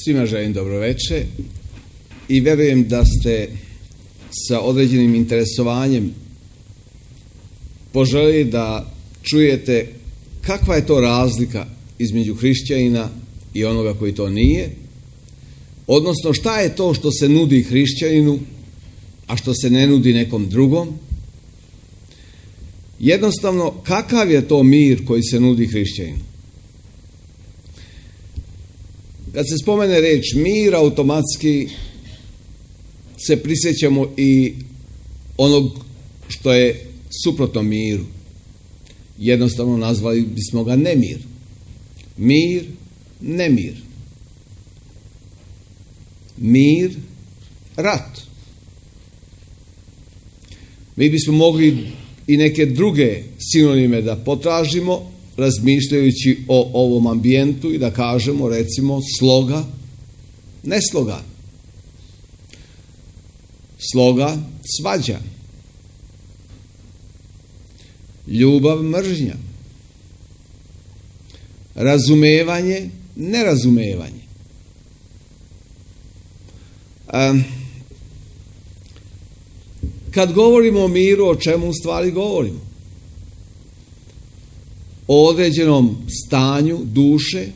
Svima želim dobroveče i verujem da ste sa određenim interesovanjem poželjeli da čujete kakva je to razlika između hrišćanina i onoga koji to nije, odnosno šta je to što se nudi hrišćaninu, a što se ne nudi nekom drugom. Jednostavno, kakav je to mir koji se nudi hrišćaninu? Kad se spomene reč mir, automatski se prisjećamo i onog što je suprotno miru. Jednostavno nazvali bismo ga nemir. Mir, nemir. Mir, rat. Mi bismo mogli i neke druge sinonime da potražimo, razmišljajući o ovom ambijentu i da kažemo, recimo, sloga, nesloga. Sloga, svađa. Ljubav, mržnja. Razumevanje, nerazumevanje. Kad govorimo o miru, o čemu u stvari govorimo? O određenom stanju duše,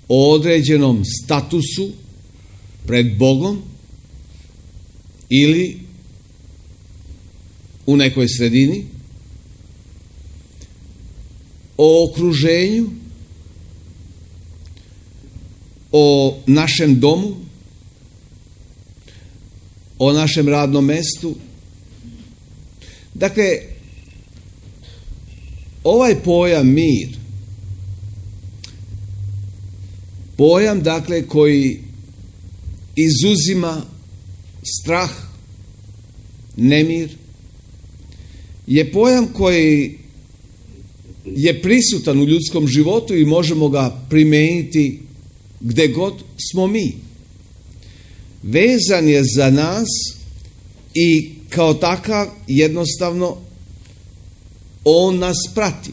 o određenom statusu pred Bogom ili u nekoj sredini, o okruženju, o našem domu, o našem radnom mestu. Dakle, ovaj pojam mir, pojam dakle koji izuzima strah, nemir, je pojam koji je prisutan u ljudskom životu i možemo ga primeniti gde god smo mi. Vezan je za nas i kao takav jednostavno on nas prati.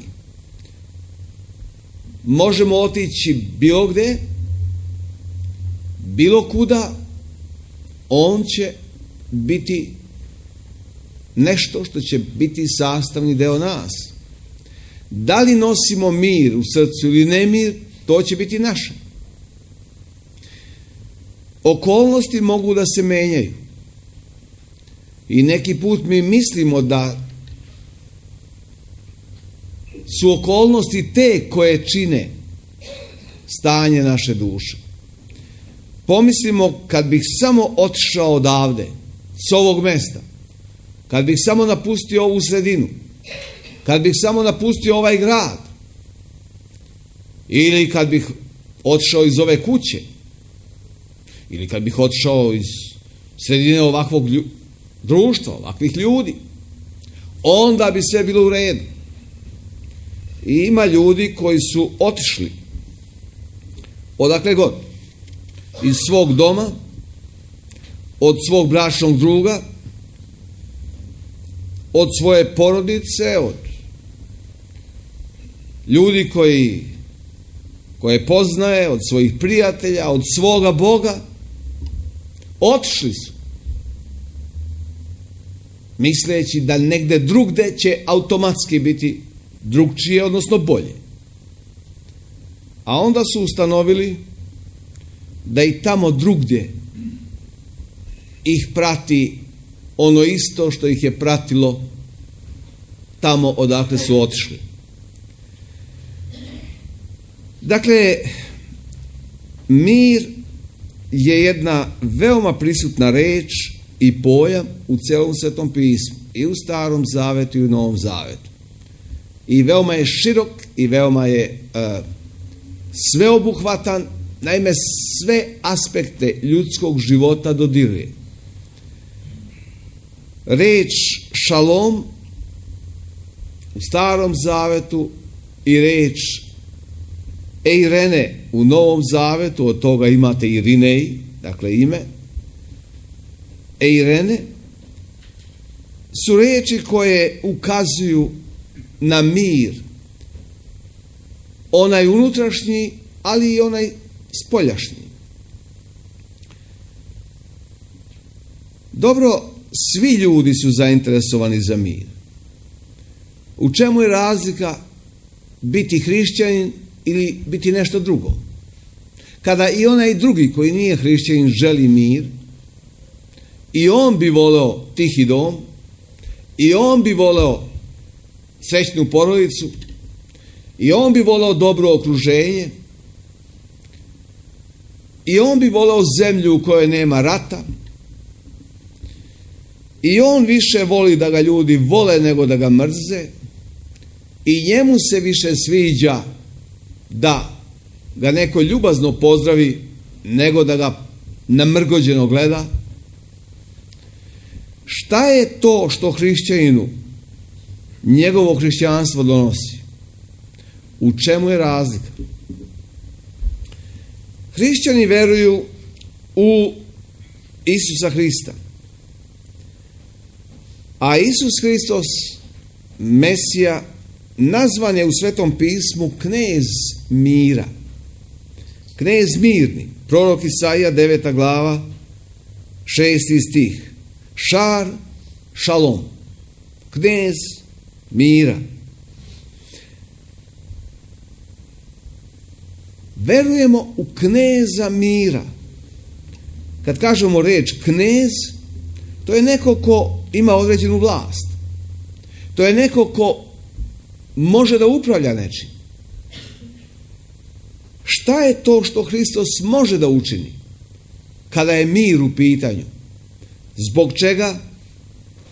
Možemo otići bilo gde, bilo kuda, on će biti nešto što će biti sastavni deo nas. Da li nosimo mir u srcu ili nemir, to će biti naše. Okolnosti mogu da se menjaju. I neki put mi mislimo da su okolnosti te koje čine stanje naše duše. Pomislimo, kad bih samo otišao odavde, s ovog mesta, kad bih samo napustio ovu sredinu, kad bih samo napustio ovaj grad, ili kad bih otišao iz ove kuće, ili kad bih otišao iz sredine ovakvog društva, ovakvih ljudi, onda bi sve bilo u redu. I ima ljudi koji su otišli odakle god, iz svog doma, od svog bračnog druga, od svoje porodice, od ljudi koje poznaje, od svojih prijatelja, od svoga Boga, otišli su, misleći da negde drugde će automatski biti drugčije, odnosno bolje. A onda su ustanovili da i tamo drugdje ih prati ono isto što ih je pratilo tamo odakle su otišli. Dakle, mir je jedna veoma prisutna reč i pojam u celom Svetom pismu, i u Starom zavetu i u Novom zavetu. I veoma je širok i veoma je sveobuhvatan, naime sve aspekte ljudskog života dodiruje. Reč šalom u Starom zavetu i reč eirene u Novom zavetu, od toga imate Irinej, dakle ime, eirene, su reči koje ukazuju na mir, onaj unutrašnji ali i onaj spoljašnji. Dobro, svi ljudi su zainteresovani za mir. U čemu je razlika biti hrišćanin ili biti nešto drugo? Kada i onaj drugi koji nije hrišćanin želi mir, i on bi voleo tihi dom, i on bi voleo srećnu porodicu, i on bi voleo dobro okruženje, i on bi voleo zemlju u kojoj nema rata, i on više voli da ga ljudi vole nego da ga mrze, i njemu se više sviđa da ga neko ljubazno pozdravi nego da ga namrgođeno gleda. Šta je to što hrišćaninu njegovo hrišćanstvo donosi? U čemu je razlika? Hrišćani veruju u Isusa Hrista. A Isus Hristos, Mesija, nazvan je u Svetom pismu knez mira. Knez mirni. Prorok Isaija, 9. glava, 6. stih. Šar, šalom. Knez mira. Verujemo u kneza mira. Kad kažemo reč knez, to je neko ko ima određenu vlast. To je neko ko može da upravlja nečim. Šta je to što Hristos može da učini kada je mir u pitanju? Zbog čega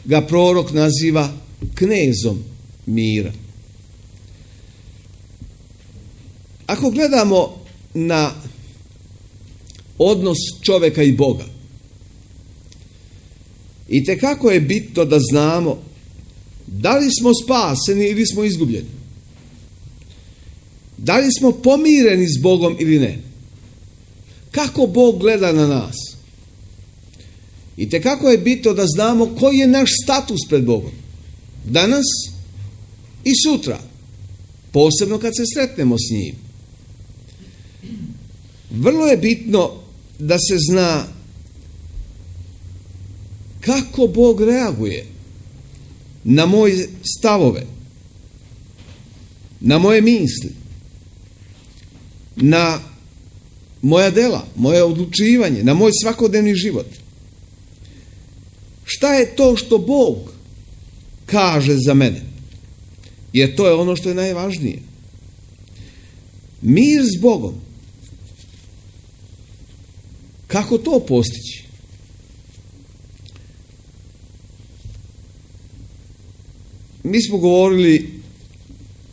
ga prorok naziva knezom mira? Ako gledamo na odnos čovjeka i Boga, itekako je bitno da znamo da li smo spaseni ili smo izgubljeni. Da li smo pomireni s Bogom ili ne. Kako Bog gleda na nas. Itekako je bitno da znamo koji je naš status pred Bogom. Danas i sutra. Posebno kad se sretnemo s njim. Vrlo je bitno da se zna kako Bog reaguje na moje stavove, na moje misli, na moja dela, moje odlučivanje, na moj svakodnevni život. Šta je to što Bog kaže za mene? Jer to je ono što je najvažnije. Mir s Bogom. Kako to postići? Mi smo govorili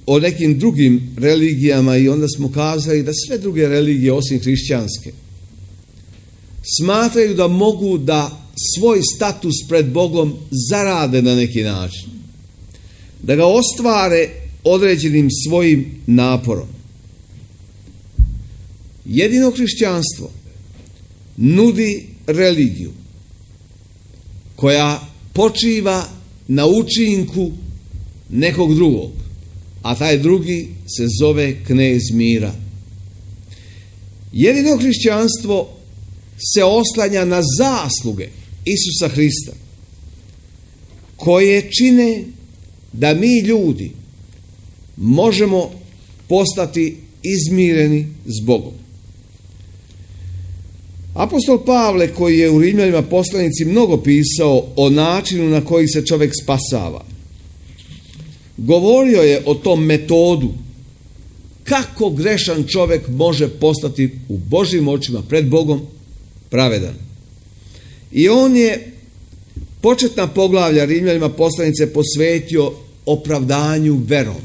o nekim drugim religijama i onda smo kazali da sve druge religije osim hrišćanske smatraju da mogu da svoj status pred Bogom zarade na neki način. Da ga ostvare određenim svojim naporom. Jedino hrišćanstvo nudi religiju koja počiva na učinku nekog drugog, a taj drugi se zove knez mira. Jedino hrišćanstvo se oslanja na zasluge Isusa Hrista, koje čine da mi ljudi možemo postati izmireni s Bogom. Apostol Pavle, koji je u Rimljanima poslanici mnogo pisao o načinu na koji se čovjek spasava, govorio je o tom metodu kako grešan čovjek može postati u Božjim očima pred Bogom pravedan. I on je početna poglavlja Rimljanima poslanice posvetio opravdanju verom.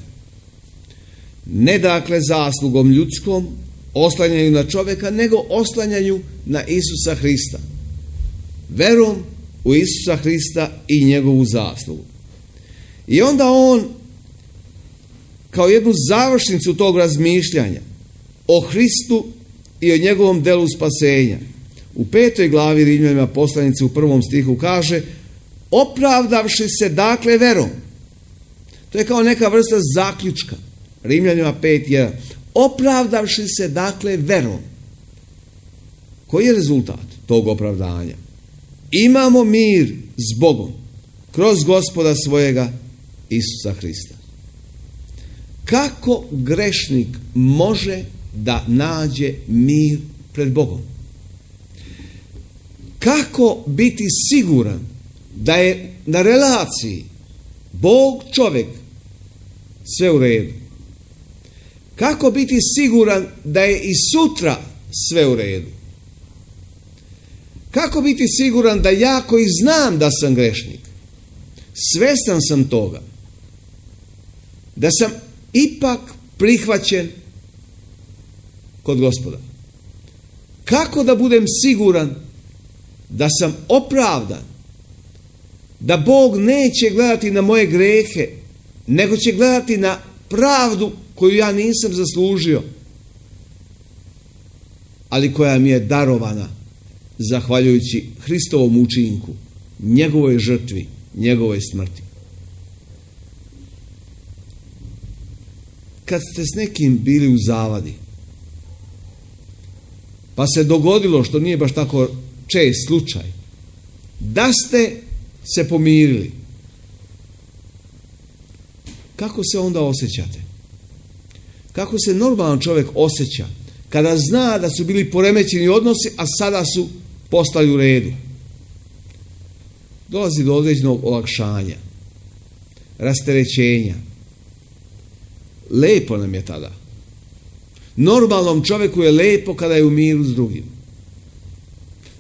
Ne dakle zaslugom ljudskom, oslanjanju na čovjeka, nego oslanjanju na Isusa Hrista. Verom u Isusa Hrista i njegovu zaslugu. I onda on, kao jednu završnicu tog razmišljanja o Hristu i o njegovom delu spasenja, u 5. glavi Rimljanima poslanice u 1. stihu kaže: opravdavši se dakle verom. To je kao neka vrsta zaključka. Rimljanima 5.1. opravdavši se dakle verom. Koji je rezultat tog opravdanja? Imamo mir s Bogom kroz Gospoda svojega Isusa Hrista. Kako grešnik može da nađe mir pred Bogom? Kako biti siguran da je na relaciji Bog čovjek sve u redu? Kako biti siguran da je i sutra sve u redu? Kako biti siguran da ja koji znam da sam grešnik, svjestan sam toga, da sam ipak prihvaćen kod Gospoda? Kako da budem siguran da sam opravdan, da Bog neće gledati na moje grehe, nego će gledati na pravdu koju ja nisam zaslužio, ali koja mi je darovana zahvaljujući Hristovom učinku, njegovoj žrtvi, njegovoj smrti. Kad ste s nekim bili u zavadi, pa se dogodilo, što nije baš tako čest slučaj, da ste se pomirili, kako se onda osjećate? Kako se normalan čovjek osjeća kada zna da su bili poremećeni odnosi, a sada su postali u redu? Dolazi do određenog olakšanja, rasterećenja. Lepo nam je tada. Normalnom čovjeku je lepo kada je u miru s drugim.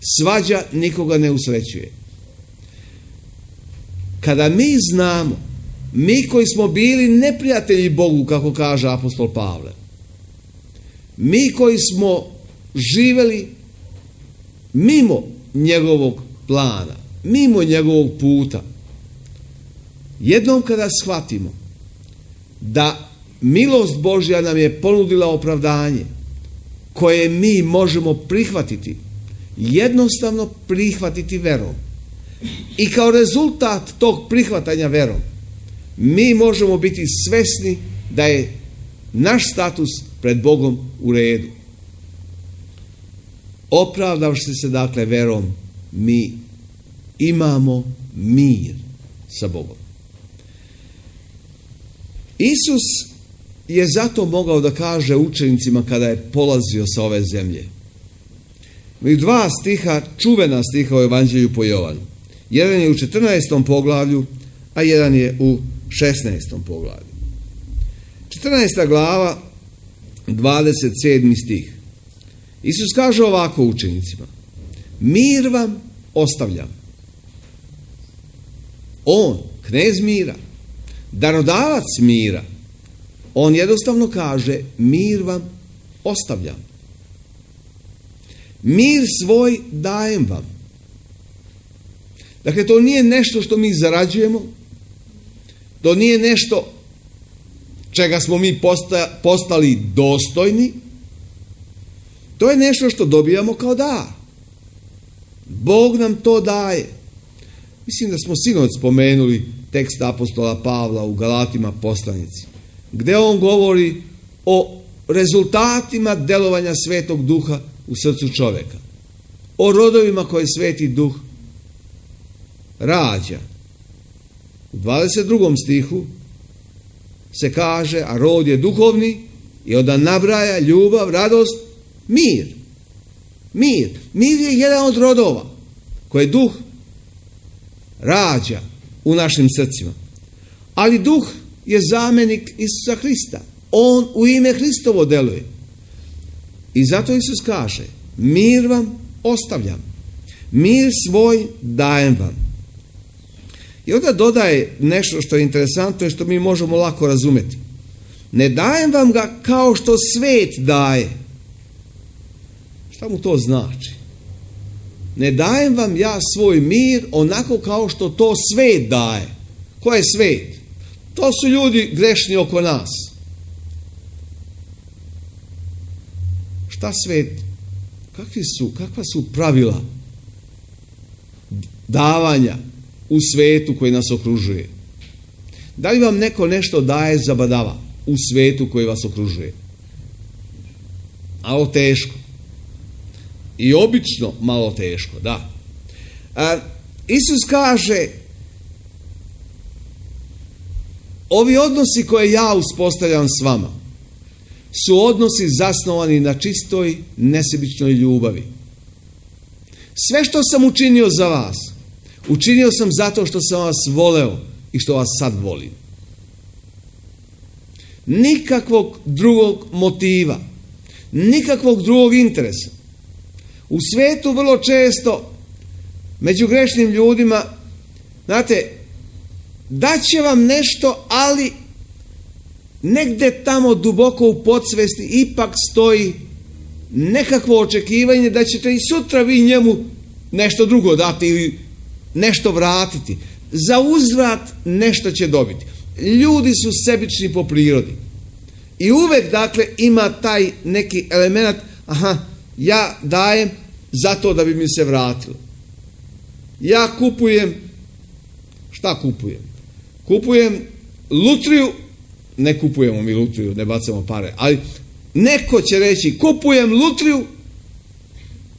Svađa nikoga ne usrećuje. Kada mi znamo, mi koji smo bili neprijatelji Bogu, kako kaže apostol Pavle, mi koji smo živjeli mimo njegovog plana, mimo njegovog puta, jednom kada shvatimo da milost Božja nam je ponudila opravdanje koje mi možemo prihvatiti, jednostavno prihvatiti verom, i kao rezultat tog prihvatanja verom mi možemo biti svesni da je naš status pred Bogom u redu. Opravdavši se dakle verom, mi imamo mir sa Bogom. Isus je zato mogao da kaže učenicima kada je polazio sa ove zemlje. I dva stiha, čuvena stiha u Evanđelju po Jovanu. Jedan je u 14. poglavlju, a jedan je u 16. poglavlju. 14. glava, 27. stih. Isus kaže ovako učenicima: mir vam ostavljam. On, knez mira, darodavac mira, on jednostavno kaže: mir vam ostavljam. Mir svoj dajem vam. Dakle, to nije nešto što mi zarađujemo, to nije nešto čega smo mi postali dostojni, to je nešto što dobijamo kao dar. Bog nam to daje. Mislim da smo sinoć spomenuli tekst apostola Pavla u Galatima poslanici, gdje on govori o rezultatima delovanja Svetog Duha u srcu čovjeka, o rodovima koje Sveti Duh rađa. U 22. stihu se kaže, a rod je duhovni, i onda nabraja ljubav, radost, mir. Mir. Mir je jedan od rodova koje Duh rađa u našim srcima. Ali Duh je zamjenik Isusa Hrista. On u ime Hristovo deluje. I zato Isus kaže: mir vam ostavljam, mir svoj dajem vam. I onda dodaje nešto što je interesantno i što mi možemo lako razumjeti. Ne dajem vam ga kao što svet daje. Šta mu to znači? Ne dajem vam ja svoj mir onako kao što to svet daje. Ko je svet? To su ljudi grešni oko nas. Šta svet? Kakva su pravila davanja u svetu koji nas okružuje? Da li vam neko nešto daje za badava u svetu koji vas okružuje? malo teško. I obično malo teško, da. Isus kaže, ovi odnosi koje ja uspostavljam s vama su odnosi zasnovani na čistoj, nesebičnoj ljubavi. Sve što sam učinio za vas, učinio sam zato što sam vas voleo i što vas sad volim. Nikakvog drugog motiva, nikakvog drugog interesa. U svijetu vrlo često među grešnim ljudima, znate, daće vam nešto, ali negdje tamo duboko u podsvesti ipak stoji nekakvo očekivanje da ćete i sutra vi njemu nešto drugo dati ili nešto vratiti. Za uzvrat nešto će dobiti. Ljudi su sebični po prirodi. I uvek, dakle, ima taj neki element, ja dajem zato da bi mi se vratilo. Ja kupujem, šta kupujem? Kupujem lutriju, ne kupujemo mi lutriju, ne bacamo pare, ali neko će reći, kupujem lutriju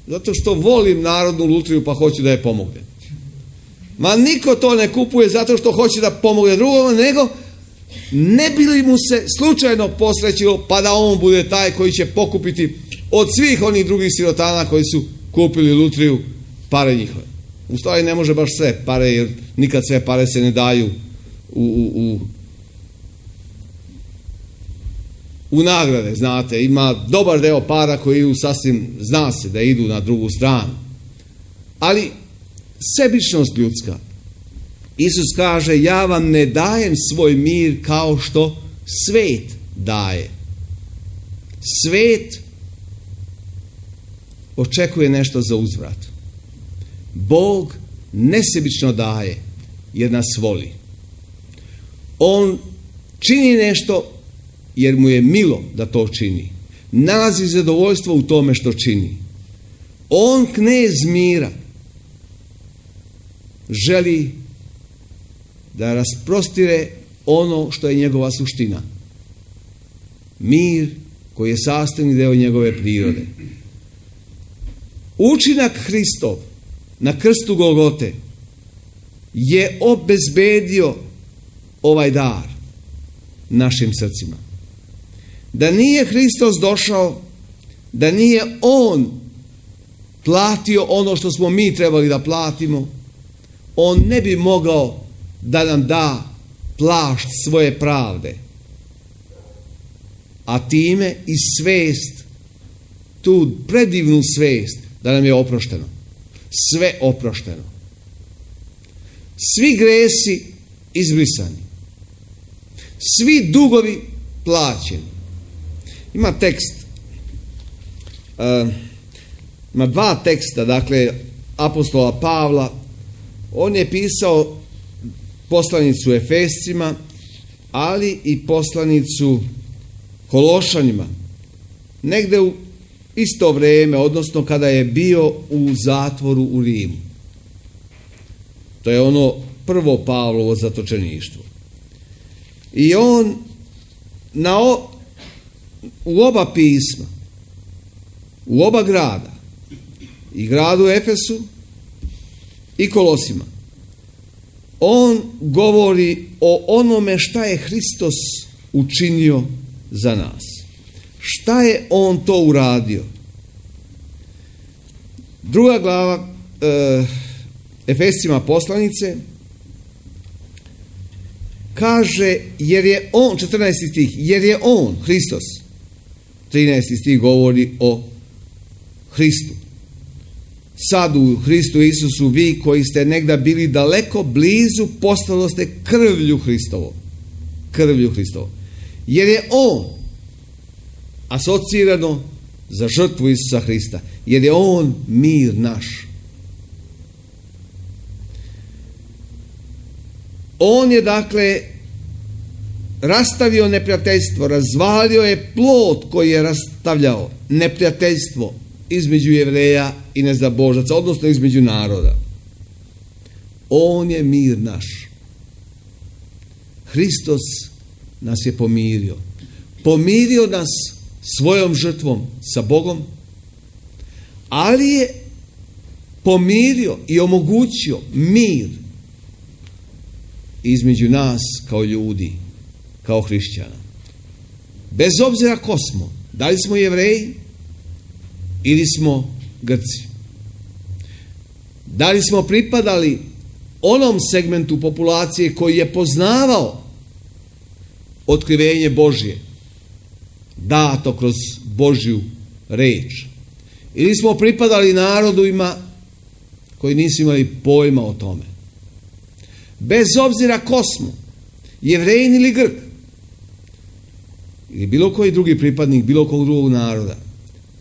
zato što volim narodnu lutriju pa hoću da je pomognem. Ma niko to ne kupuje zato što hoće da pomogne drugom, nego ne bi li mu se slučajno posrećilo pa da on bude taj koji će pokupiti od svih onih drugih sirotana koji su kupili lutriju pare njihove. U stvari ne može baš sve pare, jer nikad sve pare se ne daju u nagrade, znate. Ima dobar deo para koji idu sasvim, zna se da idu na drugu stranu. Ali sebičnost ljudska. Isus kaže, ja vam ne dajem svoj mir kao što svet daje. Svet očekuje nešto za uzvrat. Bog nesebično daje jer nas voli. On čini nešto jer mu je milo da to čini. Nalazi zadovoljstvo u tome što čini. On, knez mira, želi da rasprostire ono što je njegova suština. Mir koji je sastavni deo njegove prirode. Učinak Hristov na krstu Golgote je obezbedio ovaj dar našim srcima. Da nije Hristos došao, da nije On platio ono što smo mi trebali da platimo, On ne bi mogao da nam da plašt svoje pravde, a time i svest, tu predivnu svest da nam je oprošteno. Sve oprošteno. Svi gresi izbrisani. Svi dugovi plaćeni. Ima tekst, ima dva teksta, dakle, apostola Pavla. On je pisao poslanicu Efescima, ali i poslanicu Kološanima. Negde u isto vrijeme, odnosno kada je bio u zatvoru u Rimu. To je ono prvo Pavlovo zatočeništvo. I on u oba pisma, u oba grada, i gradu Efesu i Kolosima, on govori o onome šta je Hristos učinio za nas. Šta je on to uradio? Druga glava Efescima poslanice kaže, jer je on, 14. stih, jer je on, Hristos, 13. stih govori o Hristu. Sad u Hristu Isusu vi koji ste negda bili daleko blizu, postalo ste krvlju Hristovom. Krvlju Hristovom. Jer je on asocirano za žrtvu Isusa Hrista. Jer je on mir naš. On je, dakle, rastavio neprijateljstvo, razvalio je plot koji je rastavljao neprijateljstvo između Jevreja i nezabožaca, odnosno između naroda. On je mir naš. Hristos nas je pomirio. Pomirio nas svojom žrtvom sa Bogom, ali je pomirio i omogućio mir između nas kao ljudi, kao hrišćana. Bez obzira ko smo, da li smo Jevreji ili smo Grci. Da li smo pripadali onom segmentu populacije koji je poznavao otkrivenje Božje, dato kroz Božju reč. Ili smo pripadali narodima koji nisu imali pojma o tome. Bez obzira ko smo, Jevrejin ili Grk, ili bilo koji drugi pripadnik bilo kog drugog naroda,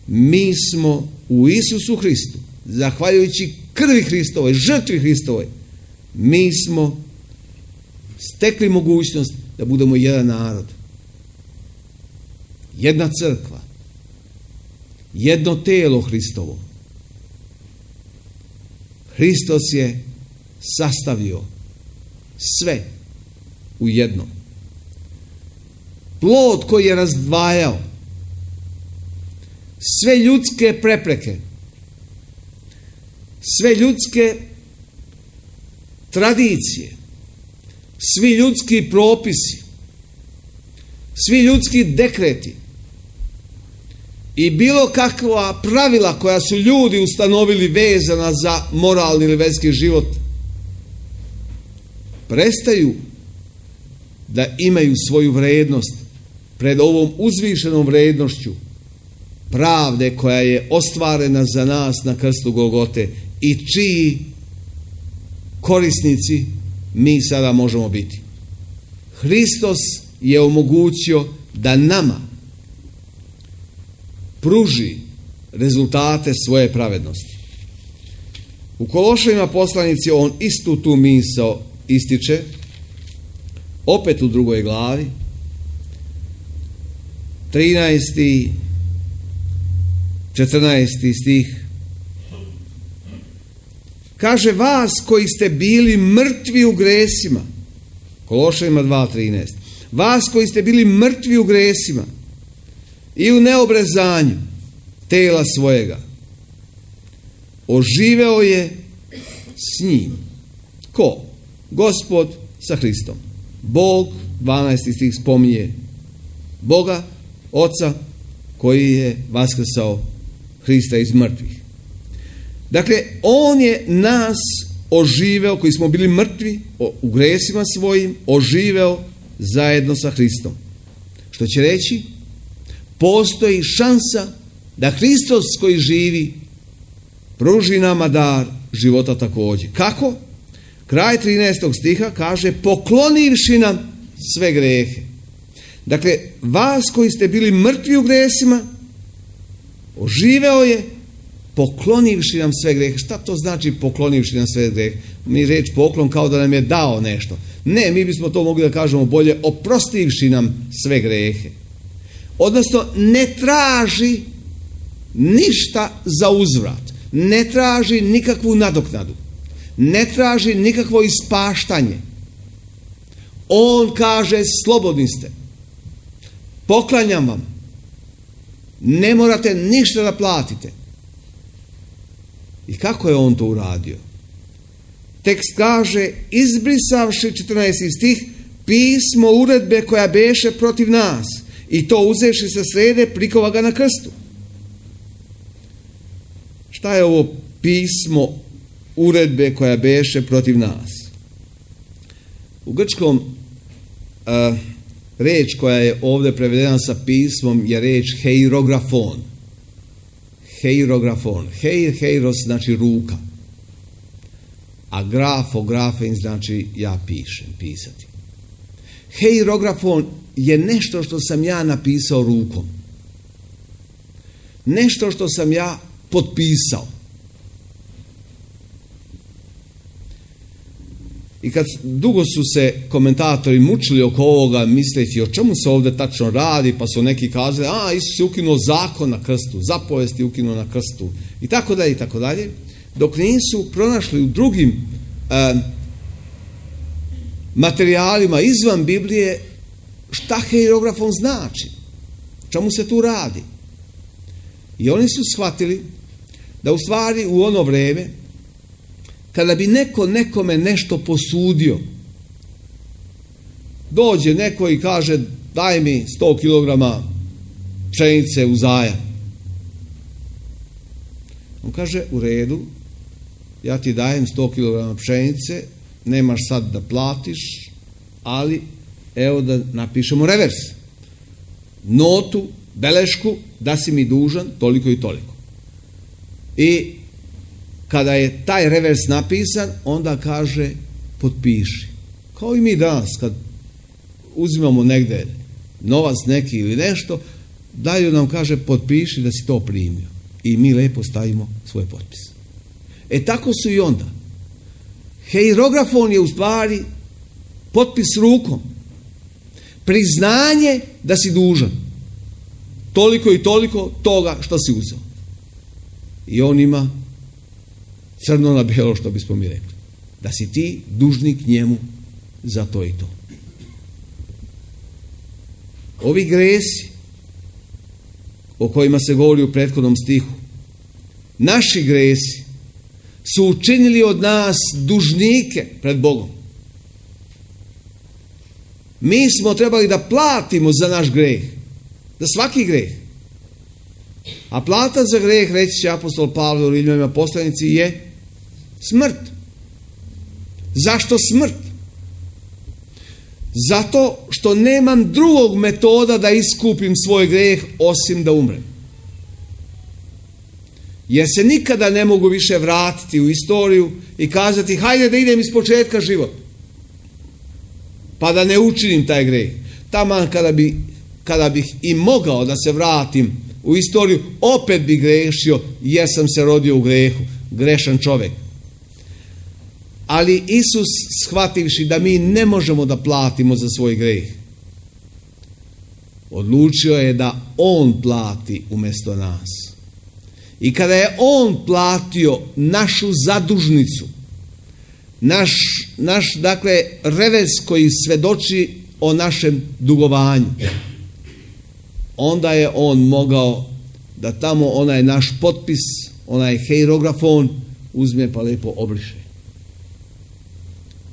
mi smo u Isusu Hristu, zahvaljujući krvi Hristovoj, žrtvi Hristovoj, mi smo stekli mogućnost da budemo jedan narod, jedna crkva, jedno telo Hristovo. Hristos je sastavio sve u jedno. Plod koji je razdvajao sve ljudske prepreke, sve ljudske tradicije, svi ljudski propisi, svi ljudski dekreti i bilo kakva pravila koja su ljudi ustanovili vezana za moralni ili verski život, prestaju da imaju svoju vrednost pred ovom uzvišenom vrednošću pravde koja je ostvarena za nas na krstu Golgote i čiji korisnici mi sada možemo biti. Hristos je omogućio da nama pruži rezultate svoje pravednosti. U Kološanima poslanici on istu tu misao ističe, opet u 2. glavi, 13. 14. stih. Kaže, vas koji ste bili mrtvi u gresima, Kološanima 2.13, vas koji ste bili mrtvi u gresima i u neobrezanju tela svojega, oživeo je s njim. Ko? Gospod sa Hristom. Bog, 12. stih spominje Boga, Oca, koji je vaskrsao Hrista iz mrtvih. Dakle, on je nas oživeo, koji smo bili mrtvi u gresima svojim, oživeo zajedno sa Hristom. Što će reći, postoji šansa da Hristos koji živi pruži nama dar života također. Kako? Kraj 13. stiha kaže, poklonivši nam sve grehe. Dakle, vas koji ste bili mrtvi u gresima, oživeo je poklonivši nam sve grehe. Šta to znači poklonivši nam sve grehe? Mi reč poklon kao da nam je dao nešto. Ne, mi bismo to mogli da kažemo bolje, oprostivši nam sve grehe. Odnosno, ne traži ništa za uzvrat. Ne traži nikakvu nadoknadu. Ne traži nikakvo ispaštanje. On kaže, slobodni ste. Poklanjam vam. Ne morate ništa da platite. I kako je on to uradio? Tekst kaže, izbrisavši 14. stih, pismo uredbe koja beše protiv nas i to uzevši sa srede, prikova ga na krstu. Šta je ovo pismo uredbe koja beše protiv nas? U grčkom reč koja je ovdje prevedena sa pismom je reč heirografon. Heirografon. Heiros znači ruka. A grafein znači ja pišem, pisati. Heirografon je nešto što sam ja napisao rukom. Nešto što sam ja potpisao. I kad dugo su se komentatori mučili oko ovoga, misleći o čemu se ovdje tačno radi, pa su neki kazali, Isus je ukinuo zakon na krstu, zapovesti je ukinuo na krstu, i tako dalje, dok nisu pronašli u drugim materijalima izvan Biblije šta heirografon znači. čemu se tu radi? I oni su shvatili da u stvari u ono vreme, kada bi neko nekome nešto posudio, dođe neko i kaže daj mi 100 kg pšenice u zajam. On kaže u redu, ja ti dajem 100 kg pšenice, nemaš sad da platiš, ali evo da napišemo revers. Notu, belešku, da si mi dužan toliko i toliko. I kada je taj revers napisan, onda kaže potpiši. Kao i mi danas, kad uzimamo negde novac neki ili nešto, daju nam, kaže, potpiši da si to primio. I mi lepo stavimo svoj potpis. Tako su i onda. Hierografon je u stvari potpis rukom. Priznanje da si dužan. Toliko i toliko toga što si uzeo. I on ima crno na bijelo, što bismo mi rekli. Da si ti dužnik njemu za to i to. Ovi gresi o kojima se govori u prethodnom stihu, naši gresi su učinili od nas dužnike pred Bogom. Mi smo trebali da platimo za naš greh, za svaki greh. A plata za greh, reći će apostol Pavle u Rimljanima poslanici, je smrt. Zašto smrt? Zato što nemam drugog metoda da iskupim svoj greh osim da umrem. Jer se nikada ne mogu više vratiti u istoriju i kazati hajde da idem iz početka život. Pa da ne učinim taj greh. Taman kada bih i mogao da se vratim u istoriju, opet bi grešio jer sam se rodio u grehu. Grešan čovjek. Ali Isus, shvativši da mi ne možemo da platimo za svoj greh, odlučio je da On plati umjesto nas. I kada je On platio našu zadužnicu, naš dakle revers koji svedoči o našem dugovanju, onda je On mogao da tamo onaj naš potpis, onaj hierografon uzme pa lepo obriše.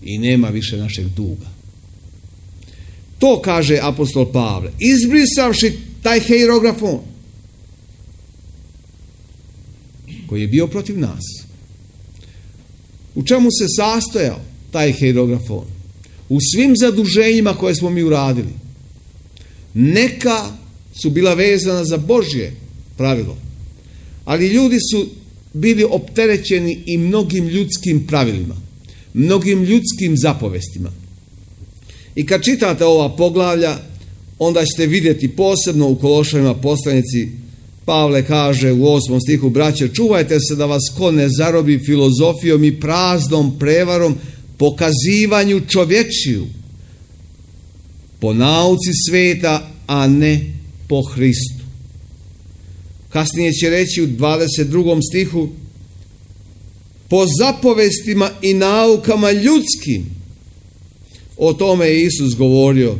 I nema više našeg duga. To kaže apostol Pavle. Izbrisavši taj hierografon koji je bio protiv nas. U čemu se sastojao taj hierografon? U svim zaduženjima koje smo mi uradili. Neka su bila vezana za Božje pravilo. Ali ljudi su bili opterećeni i mnogim ljudskim pravilima. Mnogim ljudskim zapovestima. I kad čitate ova poglavlja, onda ćete vidjeti posebno u Kološanima poslanici, Pavle kaže u 8. stihu, braće, čuvajte se da vas ko ne zarobi filozofijom i praznom prevarom, pokazivanju čovječiju, po nauci sveta, a ne po Hristu. Kasnije će reći u 22. stihu, po zapovestima i naukama ljudskim. O tome je Isus govorio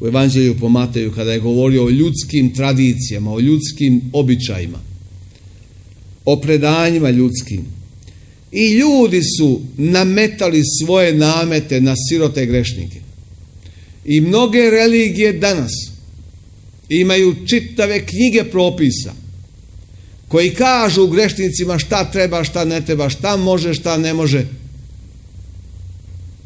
u Evanđelju po Mateju, kada je govorio o ljudskim tradicijama, o ljudskim običajima, o predanjima ljudskim. I ljudi su nametali svoje namete na sirote grešnike. I mnoge religije danas imaju čitave knjige propisa koji kažu grešnicima šta treba, šta ne treba, šta može, šta ne može.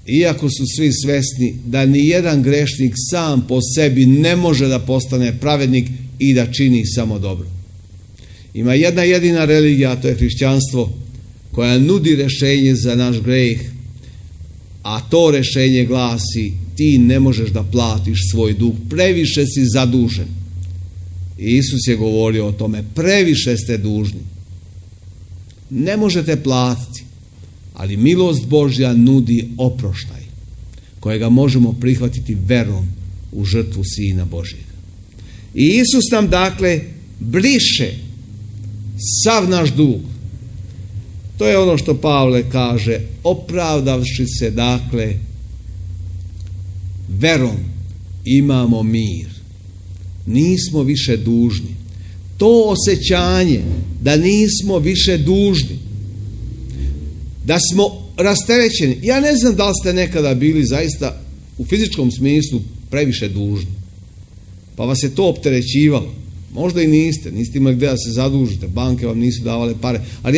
Iako su svi svesni da ni jedan grešnik sam po sebi ne može da postane pravednik i da čini samo dobro. Ima jedna jedina religija, a to je hrišćanstvo, koja nudi rješenje za naš greh, a to rješenje glasi: ti ne možeš da platiš svoj dug, previše si zadužen. I Isus je govorio o tome, previše ste dužni. Ne možete platiti, ali milost Božja nudi oproštaj, kojega možemo prihvatiti verom u žrtvu Sina Božjega. I Isus nam dakle briše sav naš dug. To je ono što Pavle kaže, opravdavši se dakle verom imamo mir nismo više dužni. To osjećanje da nismo više dužni, da smo rasterećeni. Ja ne znam da li ste nekada bili zaista u fizičkom smislu previše dužni, pa vas je to opterećivalo. Možda i niste imali gdje da se zadužite, banke vam nisu davale pare, ali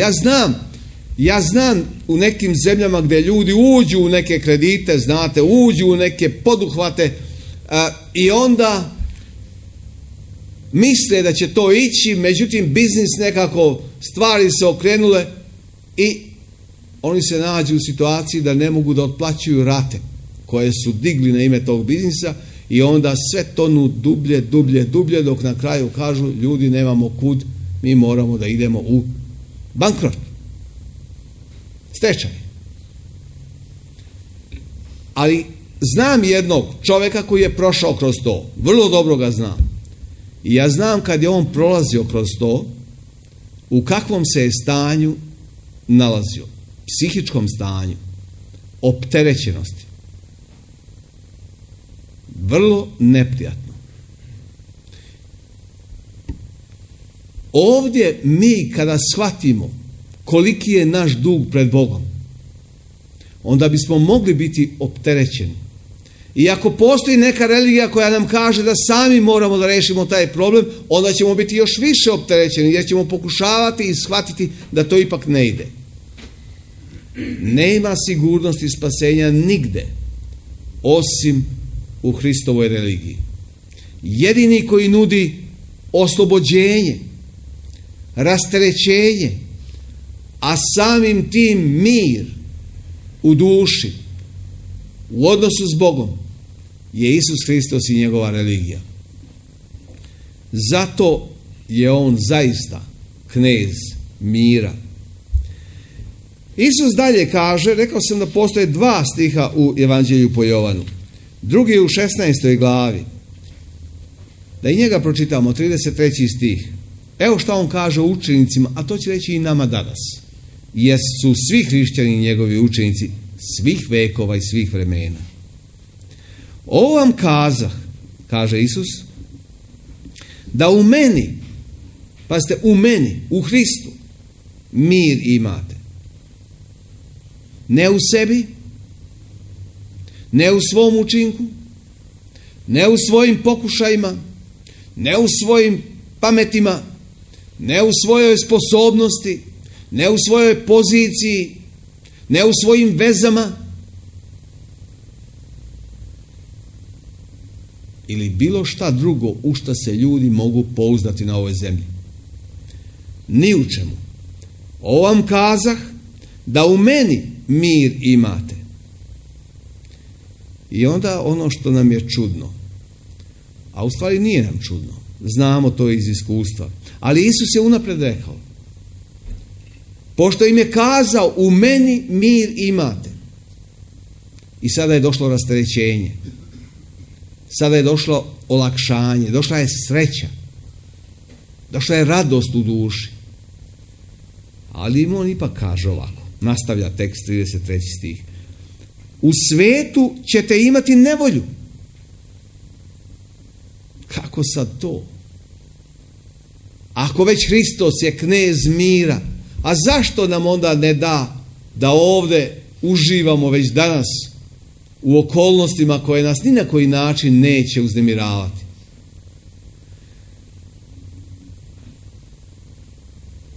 ja znam u nekim zemljama gdje ljudi uđu u neke kredite, znate, uđu u neke poduhvate i onda misle da će to ići, međutim biznis nekako, stvari se okrenule i oni se nađu u situaciji da ne mogu da otplaćuju rate koje su digli na ime tog biznisa i onda sve tonu dublje dok na kraju kažu ljudi nemamo kud, mi moramo da idemo u bankrot, stečaj. Ali znam jednog čovjeka koji je prošao kroz to, vrlo dobro ga znam. I ja znam kad je on prolazio kroz to, u kakvom se je stanju nalazio, psihičkom stanju, opterećenosti. Vrlo neprijatno. Ovdje mi kada shvatimo koliki je naš dug pred Bogom, onda bismo mogli biti opterećeni. I ako postoji neka religija koja nam kaže da sami moramo da rešimo taj problem, onda ćemo biti još više opterećeni jer ćemo pokušavati i shvatiti da to ipak ne ide. Nema sigurnosti spasenja nigde osim u Hristovoj religiji. Jedini koji nudi oslobođenje, rasterećenje, a samim tim mir u duši, u odnosu s Bogom, je Isus Hristos i njegova religija. Zato je on zaista knez mira. Isus dalje kaže, rekao sam da postoje 2 stiha u Evanđelju po Jovanu. Drugi je u 16. glavi. Da i njega pročitamo, 33. stih. Evo šta on kaže učenicima, a to će reći i nama danas. Jer su svi hrišćani njegovi učenici svih vekova i svih vremena. Ovo vam kazah, kaže Isus, da u meni, pazite, u meni, u Hristu, mir imate. Ne u sebi, ne u svom učinku, ne u svojim pokušajima, ne u svojim pametima, ne u svojoj sposobnosti, ne u svojoj poziciji, ne u svojim vezama ili bilo šta drugo u šta se ljudi mogu pouzdati na ovoj zemlji. Ni u čemu. Ovo vam kazah da u meni mir imate. I onda ono što nam je čudno, a u stvari nije nam čudno, znamo to iz iskustva, ali Isus je unapred rekao, pošto im je kazao u meni mir imate, i sada je došlo rasterećenje, sada je došlo olakšanje, došla je sreća, došla je radost u duši. Ali im on ipak kaže ovako, nastavlja tekst 33. stih. U svetu ćete imati nevolju. Kako sad to? Ako već Hristos je knez mira, a zašto nam onda ne da ovdje uživamo već danas u okolnostima koje nas ni na koji način neće uznemiravati?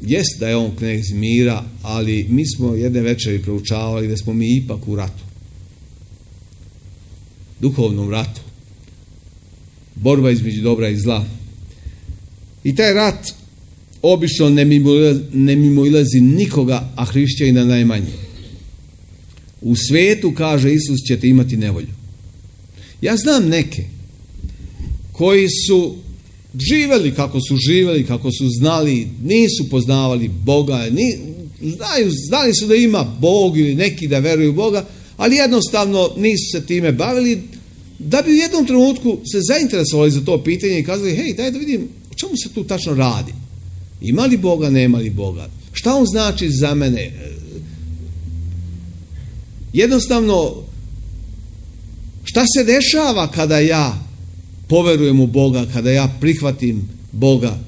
Jest da je on knez mira, ali mi smo jedne večeri proučavali da smo mi ipak u ratu. Duhovnom ratu. Borba između dobra i zla. I taj rat obično ne mimoilazi nikoga, a hrišćanina najmanje. U svetu, kaže Isus, ćete imati nevolju. Ja znam neke koji su živjeli kako su znali, nisu poznavali Boga, znali su da ima Bog ili neki da veruju u Boga, ali jednostavno nisu se time bavili, da bi u jednom trenutku se zainteresovali za to pitanje i kazali, hej, daj da vidim o čemu se tu tačno radi. Ima li Boga, nema li Boga? Šta on znači za mene? Jednostavno, šta se dešava kada ja poverujem u Boga, kada ja prihvatim Boga,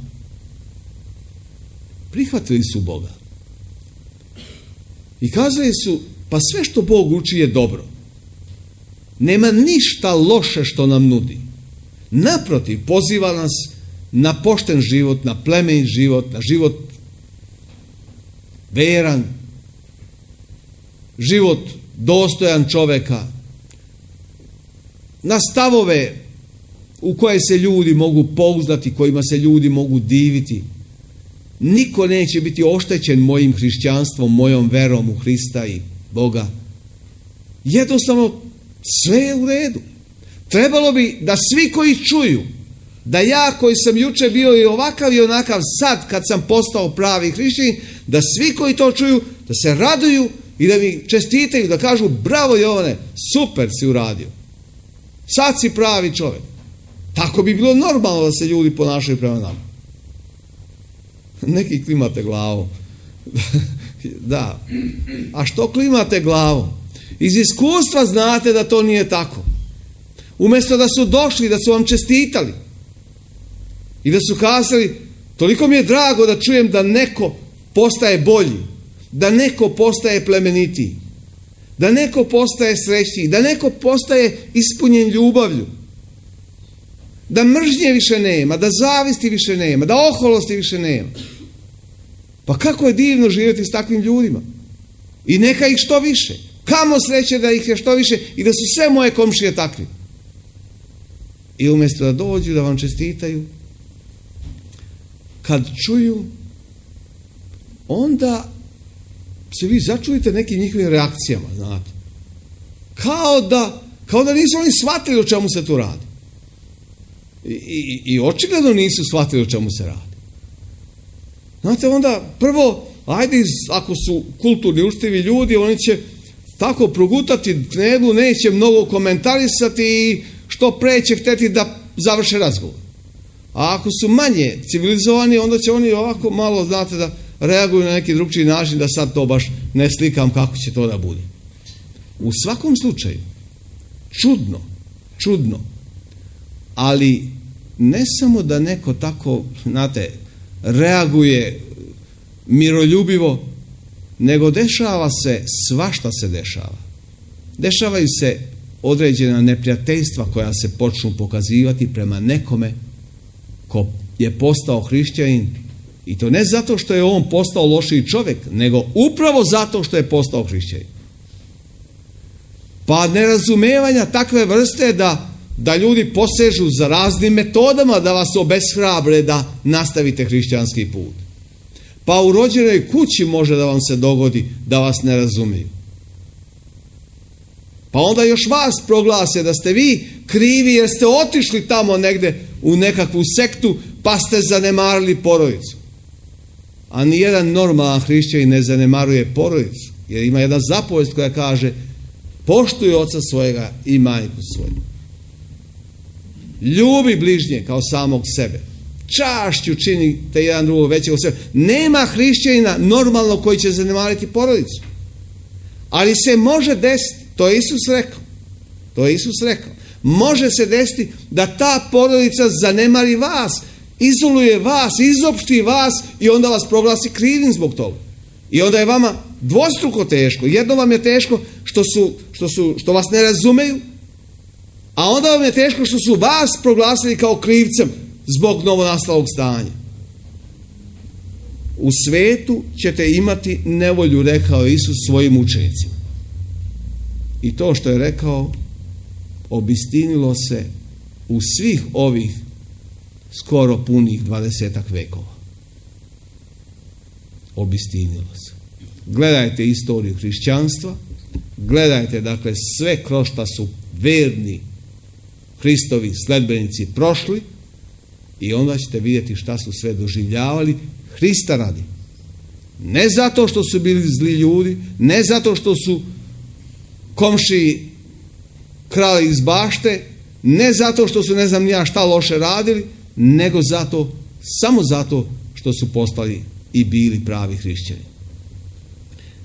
prihvatili su Boga. I kazali su, pa sve što Bog uči je dobro. Nema ništa loše što nam nudi. Naprotiv, poziva nas na pošten život, na plemenit život, na život veran, život dostojan čoveka, na stavove u koje se ljudi mogu pouzdati, kojima se ljudi mogu diviti. Niko neće biti oštećen mojim hrišćanstvom, mojom verom u Hrista i Boga. Jednostavno, sve je u redu. Trebalo bi da svi koji čuju, da ja koji sam juče bio i ovakav i onakav, sad kad sam postao pravi hrišćanin, da svi koji to čuju, da se raduju i da mi čestitaju, da kažu bravo Jovane, super si uradio. Sad si pravi čovjek. Tako bi bilo normalno da se ljudi ponašaju prema nama. Neki klimate glavom. Da. A što klimate glavom? Iz iskustva znate da to nije tako. Umjesto da su došli, da su vam čestitali i da su kazali, toliko mi je drago da čujem da neko postaje bolji, da neko postaje plemenitiji, da neko postaje srećniji, da neko postaje ispunjen ljubavlju, da mržnje više nema, da zavisti više nema, da oholosti više nema. Pa kako je divno živjeti s takvim ljudima. I neka ih što više. Kamo sreće da ih je što više i da su sve moje komšije takvi. I umjesto da dođu, da vam čestitaju, kad čuju, onda se vi začujete nekim njihovim reakcijama, znate. Kao da nisu oni shvatili o čemu se tu radi. I očigledno nisu shvatili o čemu se radi. Znate, onda prvo, ajde, ako su kulturni, učtivi ljudi, oni će tako progutati knedlu, neće mnogo komentarisati i što pre će htjeti da završe razgovor. A ako su manje civilizovani, onda će oni ovako malo, znate, da reaguju na neki drugčiji način, da sad to baš ne slikam kako će to da bude. U svakom slučaju, čudno, ali ne samo da neko tako, znate, reaguje miroljubivo, nego dešava se, svašta se dešava. Dešavaju se određena neprijateljstva koja se počnu pokazivati prema nekome ko je postao hrišćanin, i to ne zato što je on postao lošiji čovjek, nego upravo zato što je postao hrišćanin. Pa nerazumevanja takve vrste da ljudi posežu za raznim metodama da vas obeshrabre da nastavite hrišćanski put. Pa u rođenoj kući može da vam se dogodi da vas ne razumiju. Pa onda još vas proglase da ste vi krivi jer ste otišli tamo negde u nekakvu sektu pa ste zanemarili porodicu. A nijedan normalan hrišćanin ne zanemaruje porodicu, jer ima jedna zapovest koja kaže poštuj oca svojega i majku svoju. Ljubi bližnje kao samog sebe. Čašću činite jedan drugog većeg od sebe. Nema hrišćanina normalno koji će zanemariti porodicu. Ali se može desiti, to je Isus rekao. Može se desiti da ta porodica zanemari vas, izoluje vas, izopšti vas i onda vas proglasi krivim zbog toga. I onda je vama dvostruko teško. Jedno vam je teško što vas ne razumeju, a onda vam je teško što su vas proglasili kao krivcem zbog novonastalog stanja. U svetu ćete imati nevolju, rekao Isus svojim učenicima. I to što je rekao obistinilo se u svih ovih skoro punih 20 vekova. Obistinilo se. Gledajte istoriju hrišćanstva, gledajte dakle sve kroz šta su verni Hristovi sledbenici prošli i onda ćete vidjeti šta su sve doživljavali Hrista radi. Ne zato što su bili zli ljudi, ne zato što su komšiji krali iz bašte, ne zato što su ne znam ja šta loše radili, nego samo zato što su postali i bili pravi hrišćani.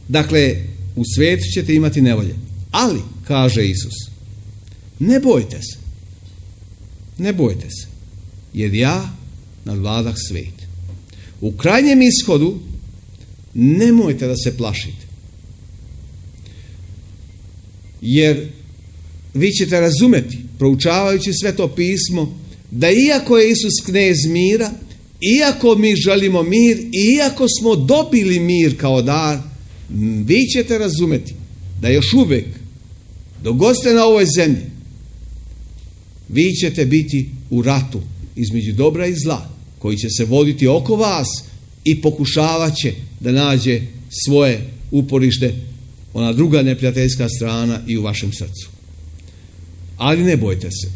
Dakle, u svijetu ćete imati nevolje. Ali, kaže Isus, ne bojte se. ne bojte se, jer ja nadvladah svijet. U krajnjem ishodu nemojte da se plašite. Jer vi ćete razumeti, proučavajući Sveto pismo, da iako je Isus knez mira, iako mi želimo mir, iako smo dobili mir kao dar, vi ćete razumeti da još uvijek, dok god ste na ovoj zemlji, vi ćete biti u ratu između dobra i zla, koji će se voditi oko vas i pokušavat će da nađe svoje uporište, ona druga neprijateljska strana, i u vašem srcu. Ali ne bojte se.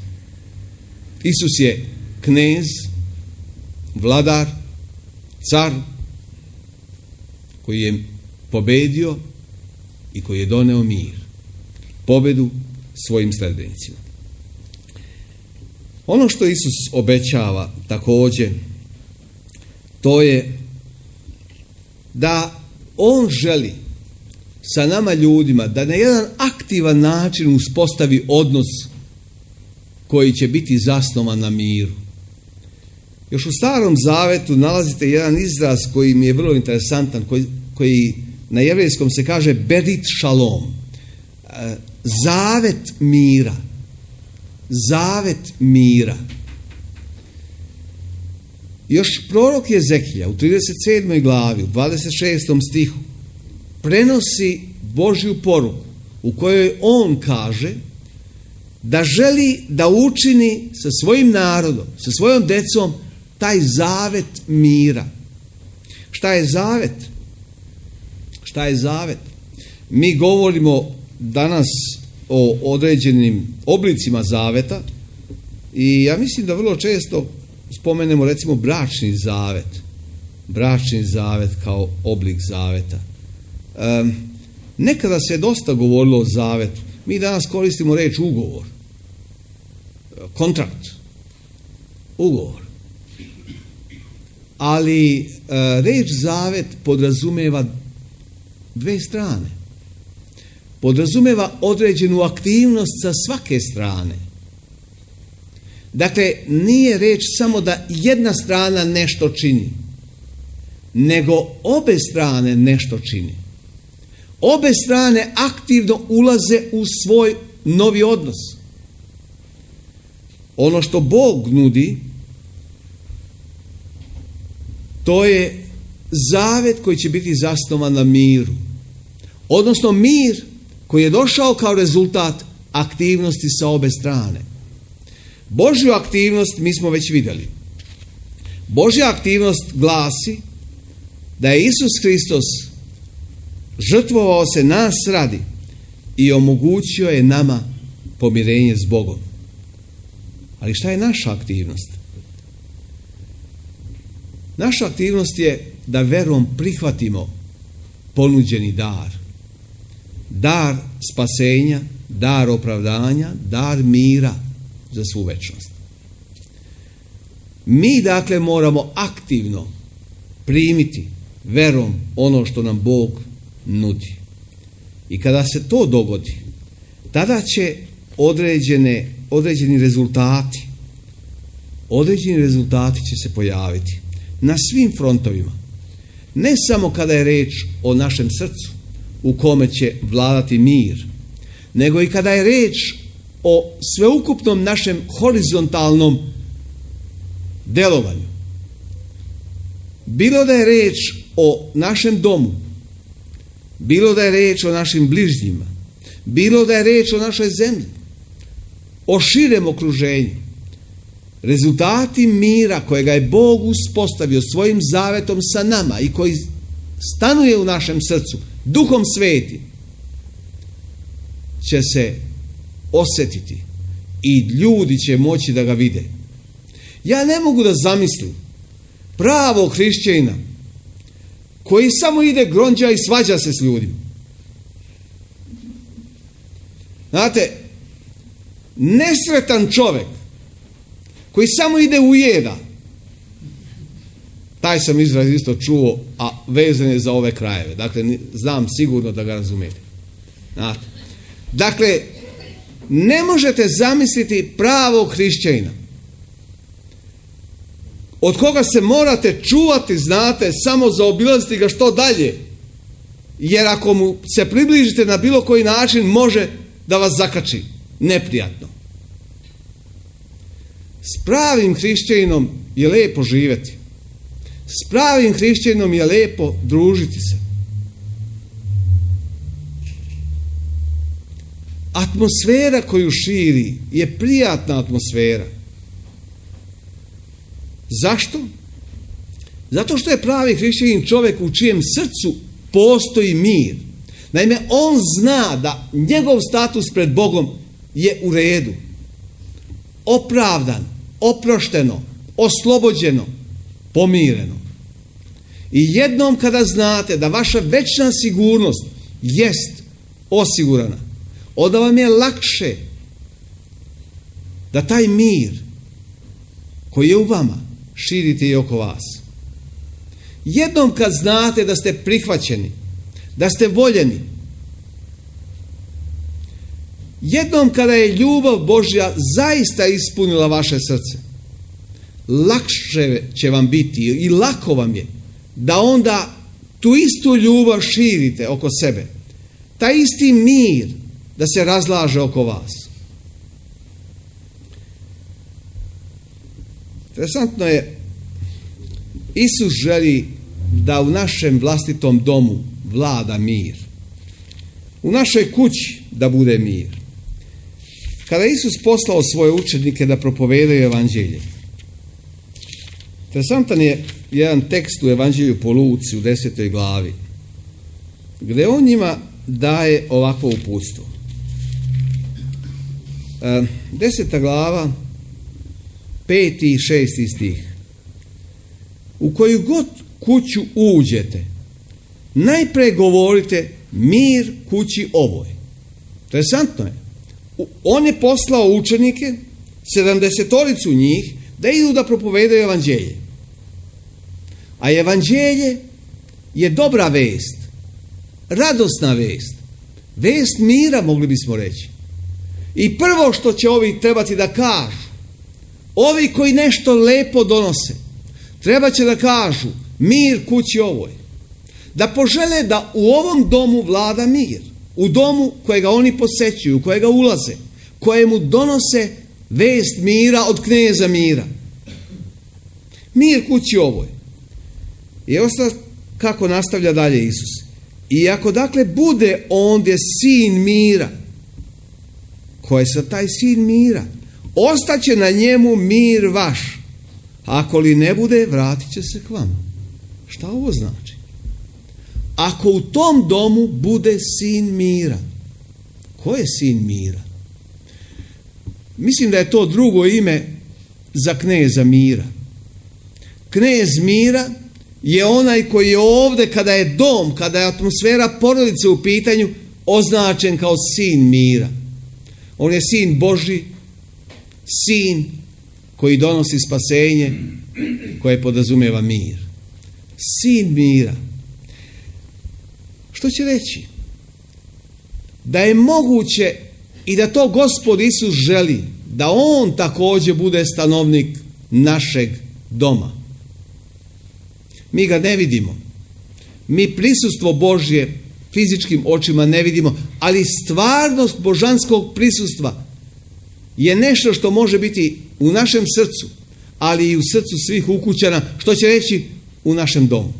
Isus je knez, vladar, car, koji je pobedio i koji je doneo mir, pobedu svojim sledbenicima. Ono što Isus obećava također, to je da on želi sa nama ljudima da na jedan aktivan način uspostavi odnos koji će biti zasnovan na miru. Još u Starom Zavetu nalazite jedan izraz koji mi je vrlo interesantan, koji na jevrejskom se kaže berit šalom. Zavet mira. Zavet mira. Još prorok Jezekija u 37. glavi, u 26. stihu, prenosi Božju poruku u kojoj on kaže da želi da učini sa svojim narodom, sa svojom decom, taj zavet mira. Šta je zavet? Šta je zavet? Mi govorimo danas o određenim oblicima zaveta i ja mislim da vrlo često spomenemo recimo bračni zavet. Bračni zavet kao oblik zaveta. Nekada se dosta govorilo o zavetu. Mi danas koristimo reč ugovor. Kontrakt. Ugovor. Ali reč zavet podrazumeva dve strane. Podrazumeva određenu aktivnost sa svake strane. Dakle, nije reč samo da jedna strana nešto čini, nego obe strane nešto čini. Obe strane aktivno ulaze u svoj novi odnos. Ono što Bog nudi, to je zavet koji će biti zasnovan na miru. Odnosno mir koji je došao kao rezultat aktivnosti sa obe strane. Božju aktivnost mi smo već vidjeli. Božja aktivnost glasi da je Isus Hristos žrtvovao se nas radi i omogućio je nama pomirenje s Bogom. Ali šta je naša aktivnost? Naša aktivnost je da verom prihvatimo ponuđeni dar. Dar spasenja, dar opravdanja, dar mira za svu večnost. Mi dakle moramo aktivno primiti verom ono što nam Bog nudi. I kada se to dogodi, tada će određeni rezultati će se pojaviti na svim frontovima. Ne samo kada je reč o našem srcu u kome će vladati mir, nego i kada je reč o sveukupnom našem horizontalnom delovanju. Bilo da je reč o našem domu, bilo da je reč o našim bližnjima, bilo da je reč o našoj zemlji, o širem okruženju, rezultati mira kojega je Bog uspostavio svojim zavetom sa nama i koji stanuje u našem srcu, Duhom Svetim, će se osjetiti i ljudi će moći da ga vide. Ja ne mogu da zamislim pravog hrišćanina koji samo ide gronđa i svađa se s ljudima. Znate, nesretan čovjek koji samo ide ujeda, taj sam izraz isto čuo, a vezan je za ove krajeve. Dakle, znam sigurno da ga razumijete. Znate. Dakle, ne možete zamisliti pravog hrišćanina od koga se morate čuvati, znate, samo zaobilaziti ga što dalje. Jer ako mu se približite na bilo koji način, može da vas zakači neprijatno. S pravim hrišćaninom je lijepo živjeti. S pravim hrišćaninom je lijepo družiti se. Atmosfera koju širi je prijatna atmosfera. Zašto? Zato što je pravi hrišćanin čovjek u čijem srcu postoji mir. Naime, on zna da njegov status pred Bogom je u redu. Opravdan, oprošteno, oslobođeno, pomireno. I jednom kada znate da vaša večna sigurnost jest osigurana, onda vam je lakše da taj mir koji je u vama širite i oko vas. Jednom kad znate da ste prihvaćeni, da ste voljeni, jednom kada je ljubav Božja zaista ispunila vaše srce, lakše će vam biti i lako vam je da onda tu istu ljubav širite oko sebe. Taj isti mir da se razlaže oko vas. Interesantno je, Isus želi da u našem vlastitom domu vlada mir. U našoj kući da bude mir. Kada Isus poslao svoje učenike da propovedaju evanđelje, interesantan je jedan tekst u evanđelju po Luci u 10. glavi, gdje on njima daje ovakvo uputstvo. 10. glava, 5. i 6. stih. U koju god kuću uđete, najprije govorite mir kući ovoj. Interesantno je. On je poslao učenike, 70 njih, da idu da propovedaju evanđelje. A evanđelje je dobra vest, radosna vest, vest mira, mogli bismo reći. I prvo što će ovi trebati da kažu, ovi koji nešto lepo donose, treba će da kažu mir kući ovoj. Da požele da u ovom domu vlada mir. U domu kojega oni posećuju, u kojega ulaze, kojemu donose vest mira od kneza mira. Mir kući ovoj. I osta kako nastavlja dalje Isus. I ako dakle bude ondje sin mira, ko je sad taj sin mira, ostaće na njemu mir vaš. Ako li ne bude, vratit će se k vama. Šta ovo znači? Ako u tom domu bude sin mira. Ko je sin mira? Mislim da je to drugo ime za kneza mira. Knez mira je onaj koji je ovdje kada je dom, kada je atmosfera porodice u pitanju, označen kao sin mira. On je sin Božji, sin koji donosi spasenje, koje podrazumijeva mir. Sin mira. Što će reći? Da je moguće i da to Gospod Isus želi, da on također bude stanovnik našeg doma. Mi ga ne vidimo. Mi prisustvo Božje fizičkim očima ne vidimo, ali stvarnost božanskog prisustva je nešto što može biti u našem srcu, ali i u srcu svih ukućana, što će reći u našem domu.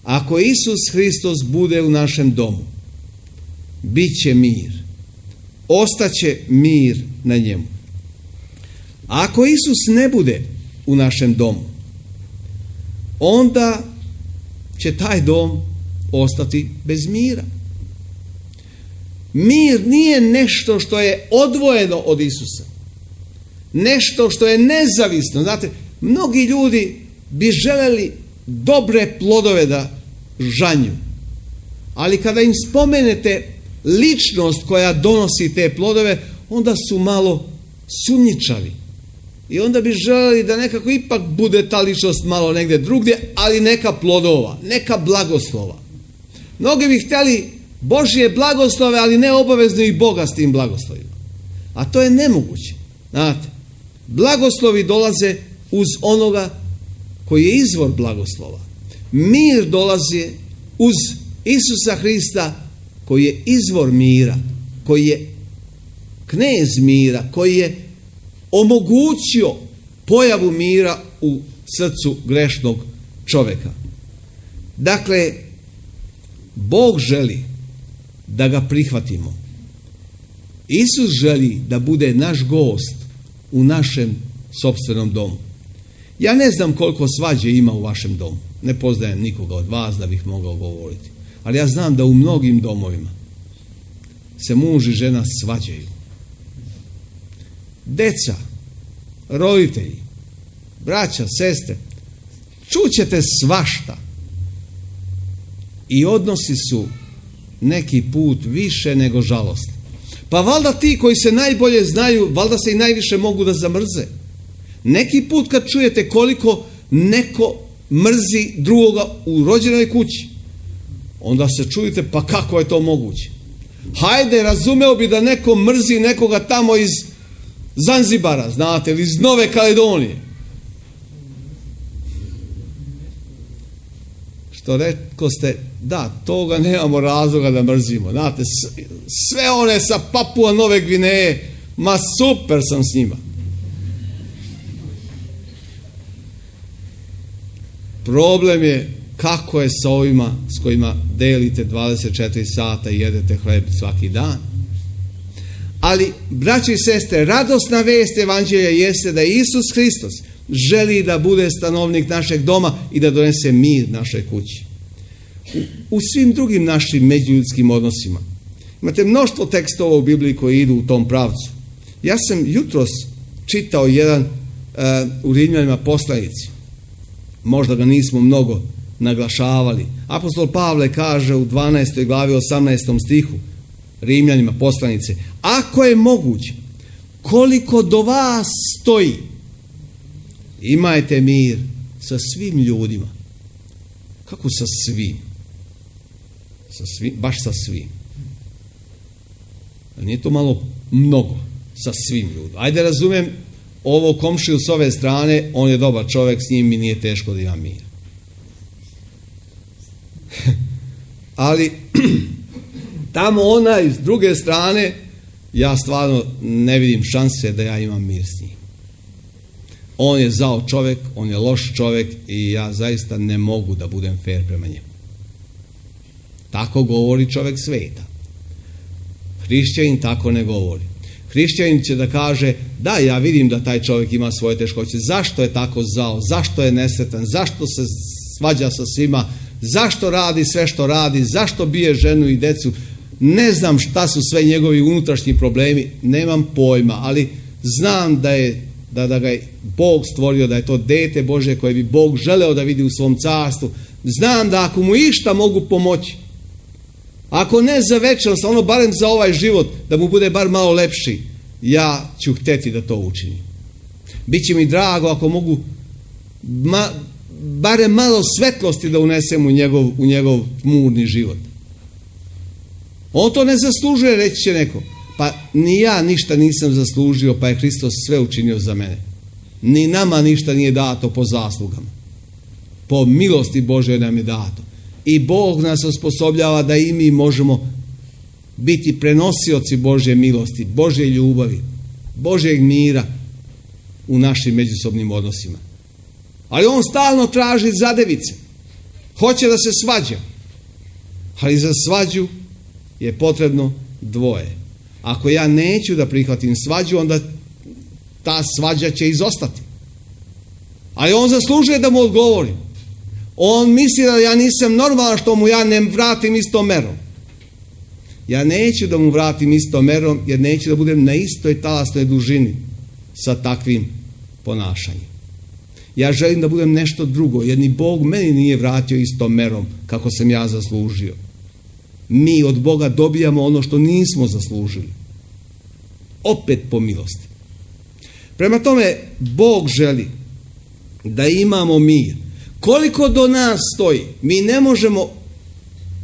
Ako Isus Hristos bude u našem domu, bit će mir. Ostaće mir na njemu. A ako Isus ne bude u našem domu, onda će taj dom ostati bez mira. Mir nije nešto što je odvojeno od Isusa. Nešto što je nezavisno. Znate, mnogi ljudi bi želeli dobre plodove da žanju. Ali kada im spomenete ličnost koja donosi te plodove, onda su malo sumnjičavi. I onda bi želeli da nekako ipak bude ta ličnost malo negdje drugdje, ali neka plodova, neka blagoslova. Mnogi bi htjeli Božje blagoslove, ali ne obavezno i Boga s tim blagoslovima. A to je nemoguće. Znate, blagoslovi dolaze uz onoga koji je izvor blagoslova. Mir dolazi uz Isusa Hrista koji je izvor mira, koji je knez mira, koji je omogućio pojavu mira u srcu grešnog čovjeka. Dakle, Bog želi da ga prihvatimo. Isus želi da bude naš gost u našem sopstvenom domu. Ja ne znam koliko svađe ima u vašem domu. Ne poznajem nikoga od vas da bih mogao govoriti. Ali ja znam da u mnogim domovima se muž i žena svađaju. Deca, roditelji, braća, sestre, čućete svašta. I odnosi su neki put više nego žalostni. Pa valjda ti koji se najbolje znaju, valjda se i najviše mogu da zamrze. Neki put kad čujete koliko neko mrzi drugoga u rođenoj kući, onda se čujete, pa kako je to moguće? Hajde, razumeo bi da neko mrzi nekoga tamo iz Zanzibara, znate, ili iz Nove Kaledonije. Što rekoste, da, toga nemamo razloga da mrzimo. Znate, sve one sa Papua Nove Gvineje, ma super sam s njima. Problem je kako je sa ovima s kojima delite 24 sata i jedete hleb svaki dan. Ali, braći i sestre, radosna vest evanđelja jeste da Isus Hristos želi da bude stanovnik našeg doma i da donese mir našoj kući. U svim drugim našim međuljudskim odnosima. Imate mnoštvo tekstova u Bibliji koji idu u tom pravcu. Ja sam jutros čitao jedan u Rimljanima poslanici. Možda ga nismo mnogo naglašavali. Apostol Pavle kaže u 12. glavi 18. stihu Rimljanima poslanice: ako je moguće, koliko do vas stoji, imajte mir sa svim ljudima. Kako sa svim? Sa svim, baš sa svim. Nije to malo mnogo sa svim ljudima. Ajde, razumem ovo komšiju s ove strane, on je dobar čovjek, s njim mi nije teško da imam mir. Ali tamo onaj s druge strane, ja stvarno ne vidim šanse da ja imam mir s njim. On je zao čovjek, on je loš čovjek i ja zaista ne mogu da budem fair prema njemu. Tako govori čovjek sveta. Hrišćanin tako ne govori. Hrišćanin će da kaže, da, ja vidim da taj čovjek ima svoje teškoće. Zašto je tako zao? Zašto je nesretan? Zašto se svađa sa svima? Zašto radi sve što radi? Zašto bije ženu i decu? Ne znam šta su sve njegovi unutrašnji problemi. Nemam pojma, ali znam da ga je Bog stvorio, da je to dete Božje koje bi Bog želeo da vidi u svom carstvu. Znam da ako mu išta mogu pomoći, ako ne za večnost, ono barem za ovaj život, da mu bude bar malo lepši, ja ću hteti da to učinim. Biće mi drago ako mogu barem malo svetlosti da unesem u njegov tmurni život. On to ne zaslužuje, reći će neko. Pa ni ja ništa nisam zaslužio, pa je Hristos sve učinio za mene. Ni nama ništa nije dato po zaslugama. Po milosti Božoj nam je dato. I Bog nas osposobljava da i mi možemo biti prenosioci Božje milosti, Božje ljubavi, Božjeg mira u našim međusobnim odnosima. Ali on stalno traži zadevice. Hoće da se svađa. Ali za svađu je potrebno dvoje. Ako ja neću da prihvatim svađu, onda ta svađa će izostati. Ali on zaslužuje da mu odgovorim. On misli da ja nisam normalan što mu ja ne vratim istom merom. Ja neću da mu vratim istom merom, jer neću da budem na istoj talasnoj dužini sa takvim ponašanjem. Ja želim da budem nešto drugo, jer ni Bog meni nije vratio istom merom kako sam ja zaslužio. Mi od Boga dobijamo ono što nismo zaslužili. Opet po milosti. Prema tome, Bog želi da imamo mir. Koliko do nas stoji, mi ne možemo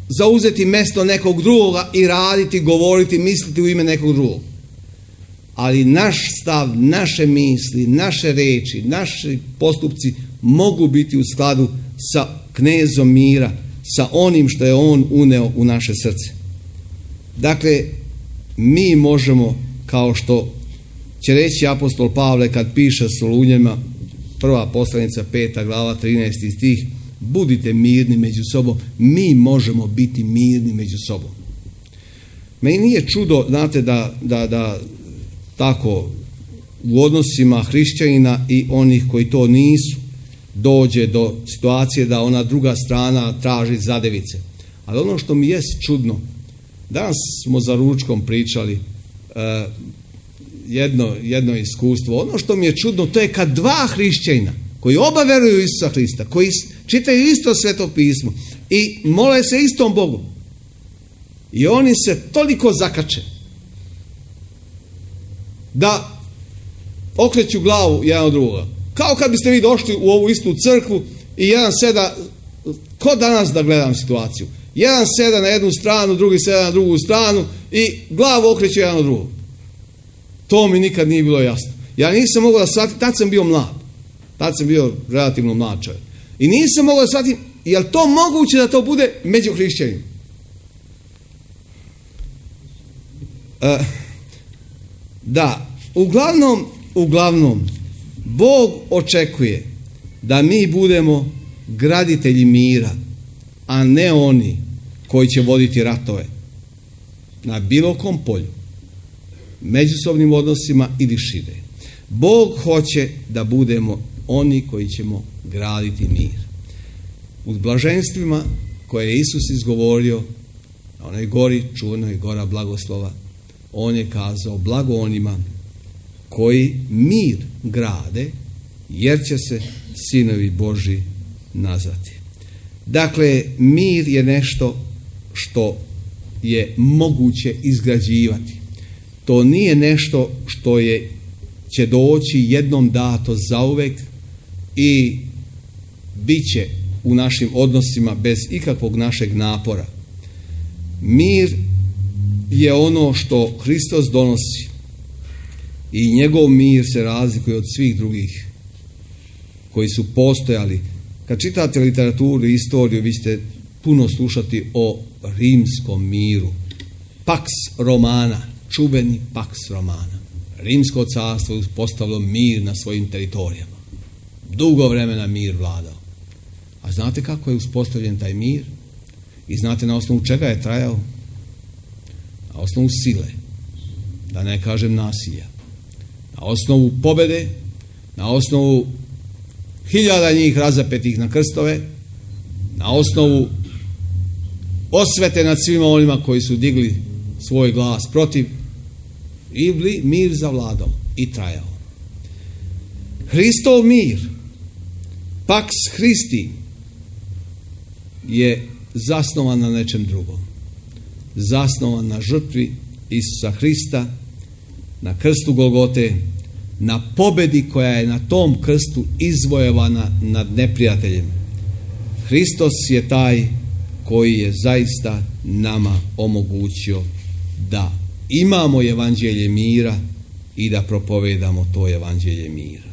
zauzeti mjesto nekog drugoga i raditi, govoriti, misliti u ime nekog drugog. ali naš stav, naše misli, naše reči, naši postupci mogu biti u skladu sa knezom mira, sa onim što je on uneo u naše srce. Dakle, mi možemo, kao što će reći apostol Pavle kad piše Solunjanima, prva poslanica 5. glava 13. stih, budite mirni među sobom. Mi možemo biti mirni među sobom. Meni nije čudo, znate, da tako u odnosima hrišćanina i onih koji to nisu dođe do situacije da ona druga strana traži zadevice. Ali ono što mi jest čudno, danas smo za ručkom pričali jedno iskustvo. Ono što mi je čudno, to je kad dva hrišćanina koji oba veruju Isusa Hrista, koji čitaju isto Sveto pismo i mole se istom Bogu, i oni se toliko zakače da okreću glavu jedan od drugoga. Kao kad biste vi došli u ovu istu crkvu i jedan seda, ko danas da gledam situaciju, jedan seda na jednu stranu, drugi seda na drugu stranu i glavu okreću jedan od drugog. To mi nikad nije bilo jasno. Ja nisam mogao da shvatim, tad sam bio mlad. Tad sam bio relativno mlad čovjek. I nisam mogao da shvatim, je li to moguće da to bude među hrišćanima? Da, uglavnom, Bog očekuje da mi budemo graditelji mira, a ne oni koji će voditi ratove na bilo kom polju, međusobnim odnosima ili šire. Bog hoće da budemo oni koji ćemo graditi mir. U blaženstvima koje je Isus izgovorio na onoj gori, čuvenoj gora blagoslova, on je kazao: blago onima koji mir grade, jer će se sinovi Božji nazvati. Dakle, mir je nešto što je moguće izgrađivati. To nije nešto što će doći jednom dato zauvek i bit će u našim odnosima bez ikakvog našeg napora. Mir je ono što Hristos donosi i njegov mir se razlikuje od svih drugih koji su postojali. Kad čitate literaturu i istoriju, vi ćete puno slušati o rimskom miru. Pax Romana, čuveni Pax Romana. Rimsko carstvo je uspostavilo mir na svojim teritorijama. Dugo vremena mir vladao. A znate kako je uspostavljen taj mir? I znate na osnovu čega je trajao? Na osnovu sile, da ne kažem nasilja. Na osnovu pobede, na osnovu 1000 njih razapetih na krstove, na osnovu osvete nad svima onima koji su digli svoj glas protiv, i mir zavladao i trajao. Hristov mir, Pax Christi, je zasnovan na nečem drugom. Zasnovan na žrtvi Isusa Hrista, na krstu Golgote, na pobedi koja je na tom krstu izvojevana nad neprijateljem. Hristos je taj koji je zaista nama omogućio da imamo evanđelje mira i da propovedamo to evanđelje mira.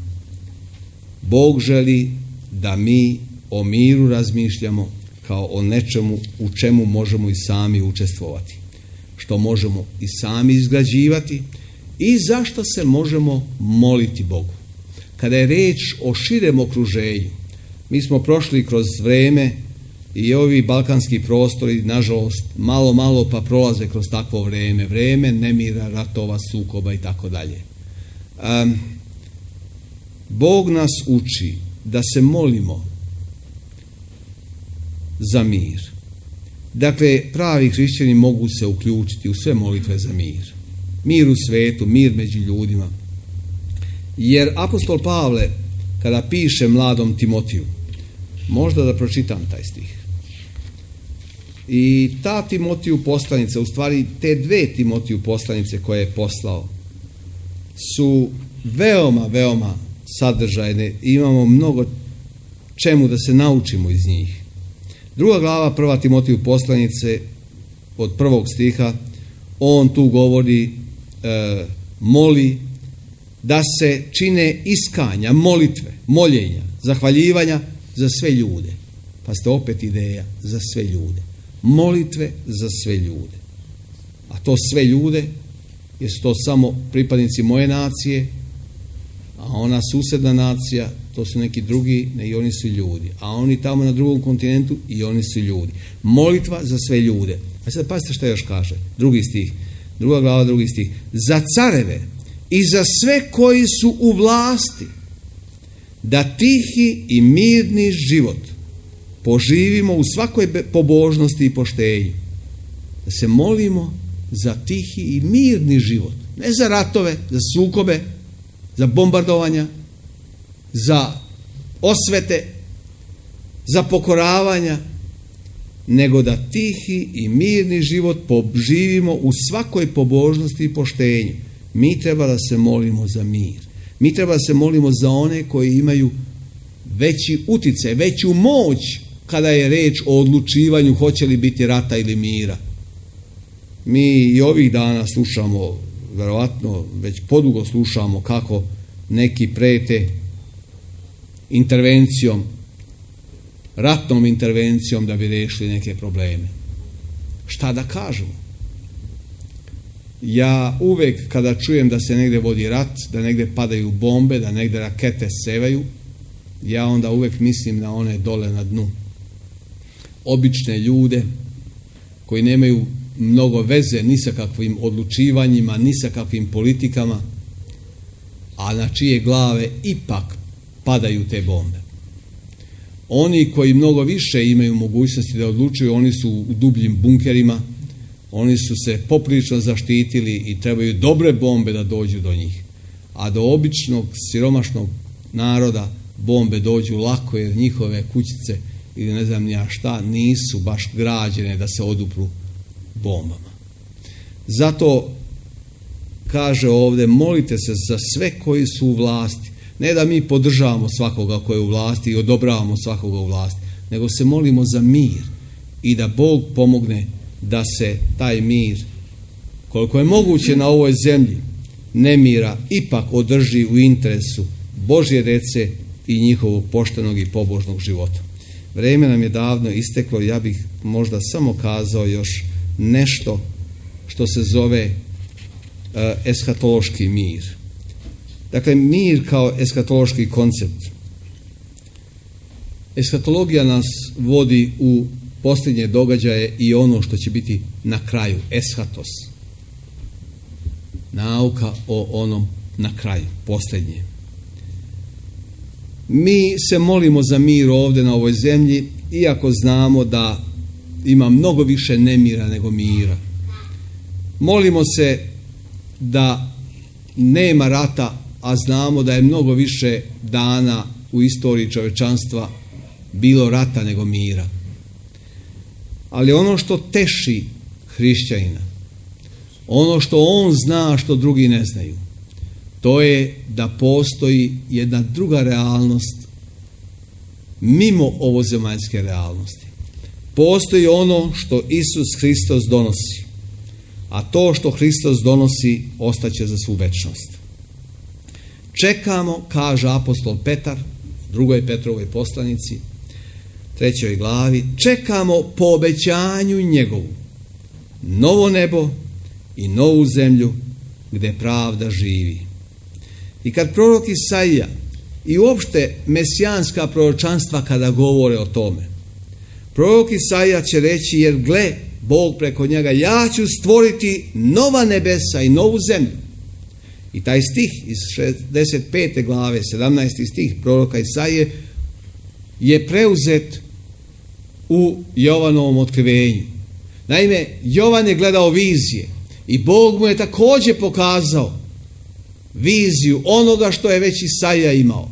Bog želi da mi o miru razmišljamo kao o nečemu u čemu možemo i sami učestvovati, što možemo i sami izgrađivati i zašto se možemo moliti Bogu. Kada je reč o širem okruženju, mi smo prošli kroz vreme i ovi balkanski prostori, nažalost, malo pa prolaze kroz takvo vreme nemira, ratova, sukoba i tako dalje. Bog nas uči da se molimo za mir. Dakle, pravi hrišćani mogu se uključiti u sve molitve za mir. Mir u svetu, mir među ljudima. Jer apostol Pavle, kada piše mladom Timotiju, možda da pročitam taj stih. I ta Timotiju poslanica, u stvari te dve Timotiju poslanice koje je poslao, su veoma sadržajne. Imamo mnogo čemu da se naučimo iz njih. 2. glava 1. Timotiju poslanice od 1. stiha, on tu govori moli, da se čine iskanja, molitve, moljenja, zahvaljivanja za sve ljude. Pa ste opet ideja za sve ljude. Molitve za sve ljude. A to sve ljude, jesu to samo pripadnici moje nacije, a ona susjedna nacija, to su neki drugi, ne, i oni su ljudi. A oni tamo na drugom kontinentu, i oni su ljudi. Molitva za sve ljude. A sad pazite šta još kaže. 2. stih. 2. glava, 2. stih. Za careve i za sve koji su u vlasti, da tihi i mirni život poživimo u svakoj pobožnosti i poštenju. Da se molimo za tihi i mirni život. Ne za ratove, za sukobe, za bombardovanja, za osvete, za pokoravanja, nego da tihi i mirni život poživimo u svakoj pobožnosti i poštenju. Mi treba da se molimo za mir. Mi treba da se molimo za one koji imaju veći uticaj, veću moć kada je reč o odlučivanju hoće li biti rata ili mira. Mi i ovih dana slušamo, verovatno već podugo slušamo kako neki prete intervencijom, ratnom intervencijom da bi riješili neke probleme. Šta da kažemo? Ja uvek kada čujem da se negdje vodi rat, da negdje padaju bombe, da negdje rakete sevaju, ja onda uvek mislim na one dole na dnu. Obične ljude koji nemaju mnogo veze ni sa kakvim odlučivanjima, ni sa kakvim politikama, a na čije glave ipak padaju te bombe. Oni koji mnogo više imaju mogućnosti da odlučuju, oni su u dubljim bunkerima, oni su se poprilično zaštitili i trebaju dobre bombe da dođu do njih. A do običnog siromašnog naroda bombe dođu lako, jer njihove kućice ili ne znam ja šta nisu baš građene da se odupru bombama. Zato kaže ovdje, molite se za sve koji su u vlasti. Ne da mi podržavamo svakoga koji je u vlasti i odobravamo svakoga u vlasti, nego se molimo za mir i da Bog pomogne da se taj mir, koliko je moguće na ovoj zemlji nemira, ipak održi u interesu Božje djece i njihovog poštenog i pobožnog života. Vrijeme nam je davno isteklo, ja bih možda samo kazao još nešto što se zove eskatološki mir. Dakle, mir kao eskatološki koncept. Eskatologija nas vodi u posljednje događaje i ono što će biti na kraju, eschatos. Nauka o onom na kraju, posljednje. Mi se molimo za mir ovdje na ovoj zemlji, iako znamo da ima mnogo više nemira nego mira. Molimo se da nema rata, a znamo da je mnogo više dana u istoriji čovečanstva bilo rata nego mira. Ali ono što teši hrišćanina, ono što on zna što drugi ne znaju, to je da postoji jedna druga realnost mimo ovozemaljske realnosti. Postoji ono što Isus Hristos donosi, a to što Hristos donosi ostaće za svu večnost. Čekamo, kaže apostol Petar, u 2. Petrovoj poslanici, 3. glavi, čekamo po obećanju njegovu novo nebo i novu zemlju gdje pravda živi. I kad prorok Isaija i uopšte mesijanska proročanstva kada govore o tome, prorok Isaija će reći, jer gle, Bog preko njega, ja ću stvoriti nova nebesa i novu zemlju. I taj stih iz 65. glave, 17. stih proroka Isaije je preuzet u Jovanovom otkrivenju. Naime, Jovan je gledao vizije i Bog mu je također pokazao viziju onoga što je već Isaija imao.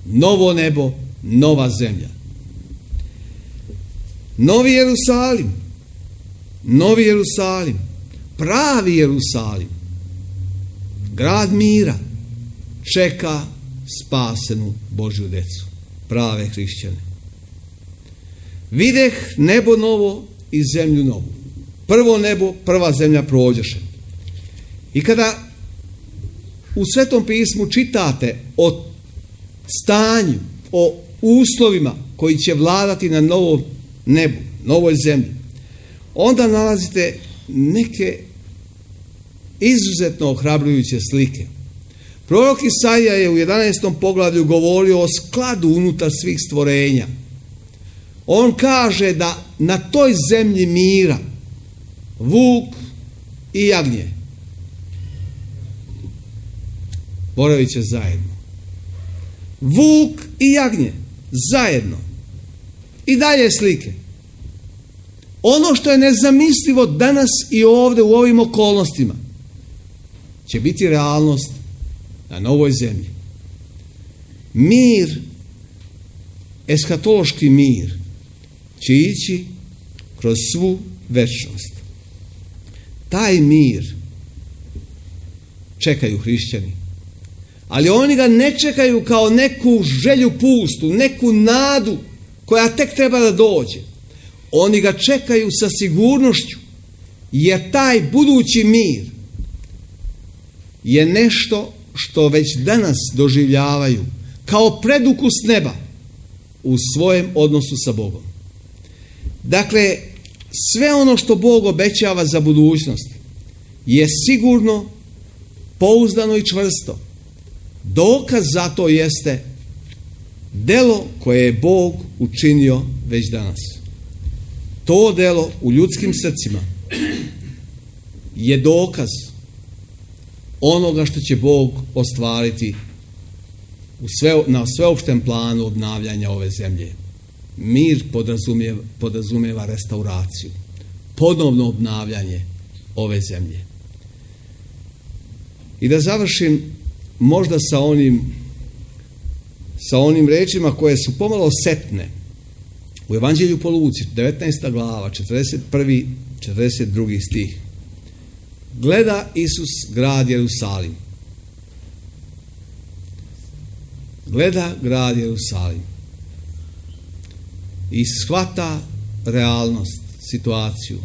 Novo nebo, nova zemlja. Novi Jerusalim, novi Jerusalim, pravi Jerusalim, grad mira, čeka spasenu Božju decu, prave hrišćane. Videh nebo novo i zemlju novu. Prvo nebo, prva zemlja prođeše. I kada u Svetom pismu čitate o stanju, o uslovima koji će vladati na novom nebu, novoj zemlji, onda nalazite neke izuzetno ohrabrujuće slike. Prorok Isaija je u 11. poglavlju govorio o skladu unutar svih stvorenja. On kaže da na toj zemlji mira vuk i jagnje boravit će zajedno. Vuk i jagnje zajedno. I dalje slike. Ono što je nezamislivo danas i ovdje u ovim okolnostima će biti realnost na novoj zemlji. Mir, eskatološki mir, će ići kroz svu večnost. Taj mir čekaju hrišćani. Ali oni ga ne čekaju kao neku želju pustu, neku nadu koja tek treba da dođe. Oni ga čekaju sa sigurnošću, jer taj budući mir je nešto što već danas doživljavaju kao predukus neba u svojem odnosu sa Bogom. Dakle, sve ono što Bog obećava za budućnost je sigurno, pouzdano i čvrsto. Dokaz za to jeste delo koje je Bog učinio već danas. To delo u ljudskim srcima je dokaz onoga što će Bog ostvariti na sveopštem planu obnavljanja ove zemlje. Mir podrazumijeva restauraciju, ponovno obnavljanje ove zemlje. I da završim možda sa onim rečima koje su pomalo setne. U Evanđelju po Luci, 19. glava, 41. 42. stih. Gleda Isus grad Jerusalim. Gleda grad Jerusalim. I shvata realnost, situaciju.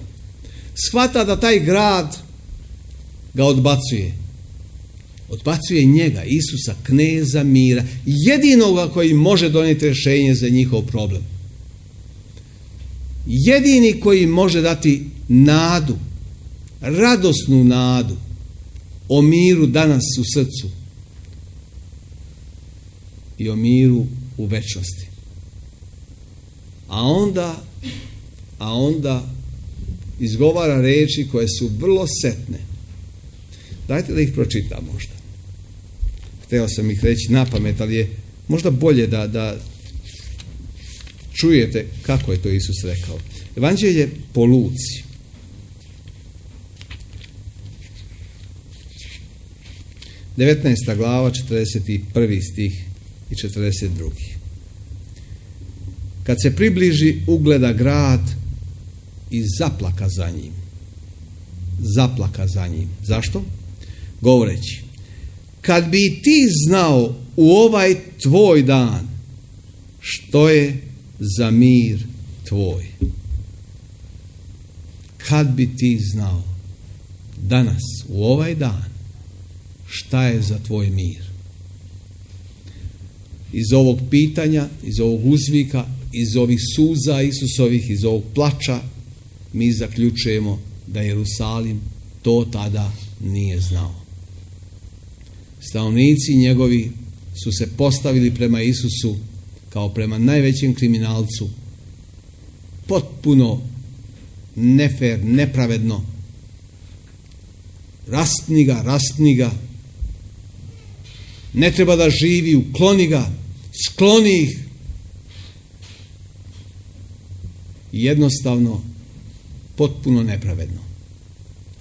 Shvata da taj grad ga odbacuje. Odbacuje njega, Isusa, kneza mira, jedinoga koji može donijeti rješenje za njihov problem. Jedini koji može dati nadu, radosnu nadu o miru danas u srcu i o miru u večnosti. A onda izgovara riječi koje su vrlo setne. Dajte da ih pročitam možda. Hteo sam ih reći na pamet, ali je možda bolje da čujete kako je to Isus rekao. Evanđelje po Luci. Devetnaesta glava, 41. stih i 42. Kad se približi, ugleda grad i zaplaka za njim. Zaplaka za njim. Zašto? Govoreći, kad bi ti znao u ovaj tvoj dan što je za mir tvoj. Kad bi ti znao danas u ovaj dan šta je za tvoj mir. Iz ovog pitanja, iz ovog uzvika, iz ovih suza Isusovih, iz ovog plača mi zaključujemo da Jerusalim to tada nije znao. Stanovnici njegovi su se postavili prema Isusu kao prema najvećem kriminalcu, potpuno nefer, nepravedno. Rastni ga, ne treba da živi, ukloni ga, skloni ih. Jednostavno, potpuno nepravedno.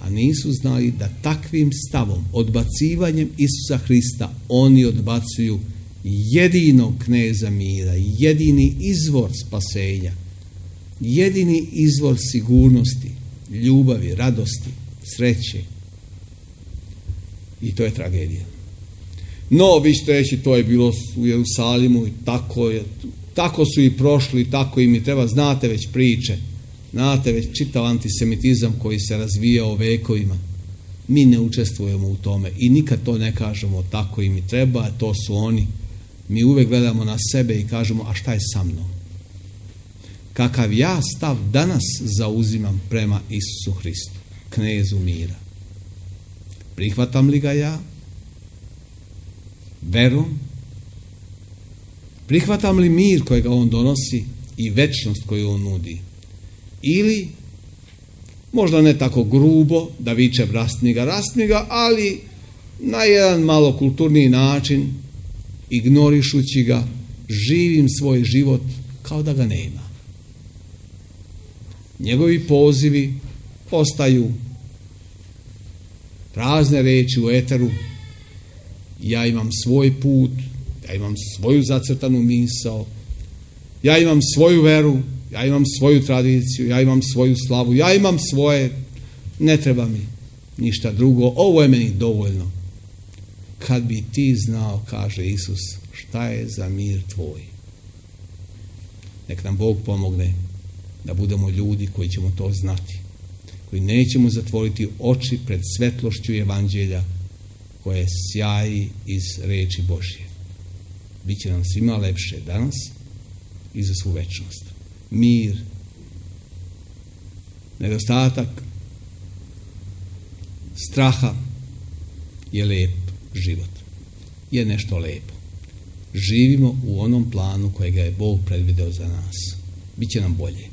A nisu znali da takvim stavom, odbacivanjem Isusa Hrista, oni odbacuju jedinog kneza mira, jedini izvor spasenja, jedini izvor sigurnosti, ljubavi, radosti, sreće. I to je tragedija. No, vi ćete reći, to je bilo u Jerusalimu i tako su i prošli, tako im i treba, znate već priče, znate već čitav antisemitizam koji se razvijao vekovima. Mi ne učestvujemo u tome i nikad to ne kažemo tako im i treba, to su oni. Mi uvek gledamo na sebe i kažemo, a šta je sa mnom? Kakav ja stav danas zauzimam prema Isusu Hristu, knezu mira? Prihvatam li ga ja? Verom? Prihvatam li mir kojega on donosi i večnost koju on nudi? Ili, možda ne tako grubo, da vičem rastmi ga, ali na jedan malo kulturniji način, ignorišući ga, živim svoj život kao da ga nema. Njegovi pozivi ostaju prazne reči u eteru. Ja imam svoj put, ja imam svoju zacrtanu misao, ja imam svoju veru, ja imam svoju tradiciju, ja imam svoju slavu, ja imam svoje, ne treba mi ništa drugo, ovo je meni dovoljno. Kad bi ti znao, kaže Isus, šta je za mir tvoj. Nek nam Bog pomogne da budemo ljudi koji ćemo to znati, koji nećemo zatvoriti oči pred svetlošću evanđelja koje sjaji iz reči Božje. Biće nam svima lepše danas i za svu večnost. Mir, nedostatak straha je lep život. Je nešto lepo. Živimo u onom planu kojega je Bog predvideo za nas. Biće nam bolje.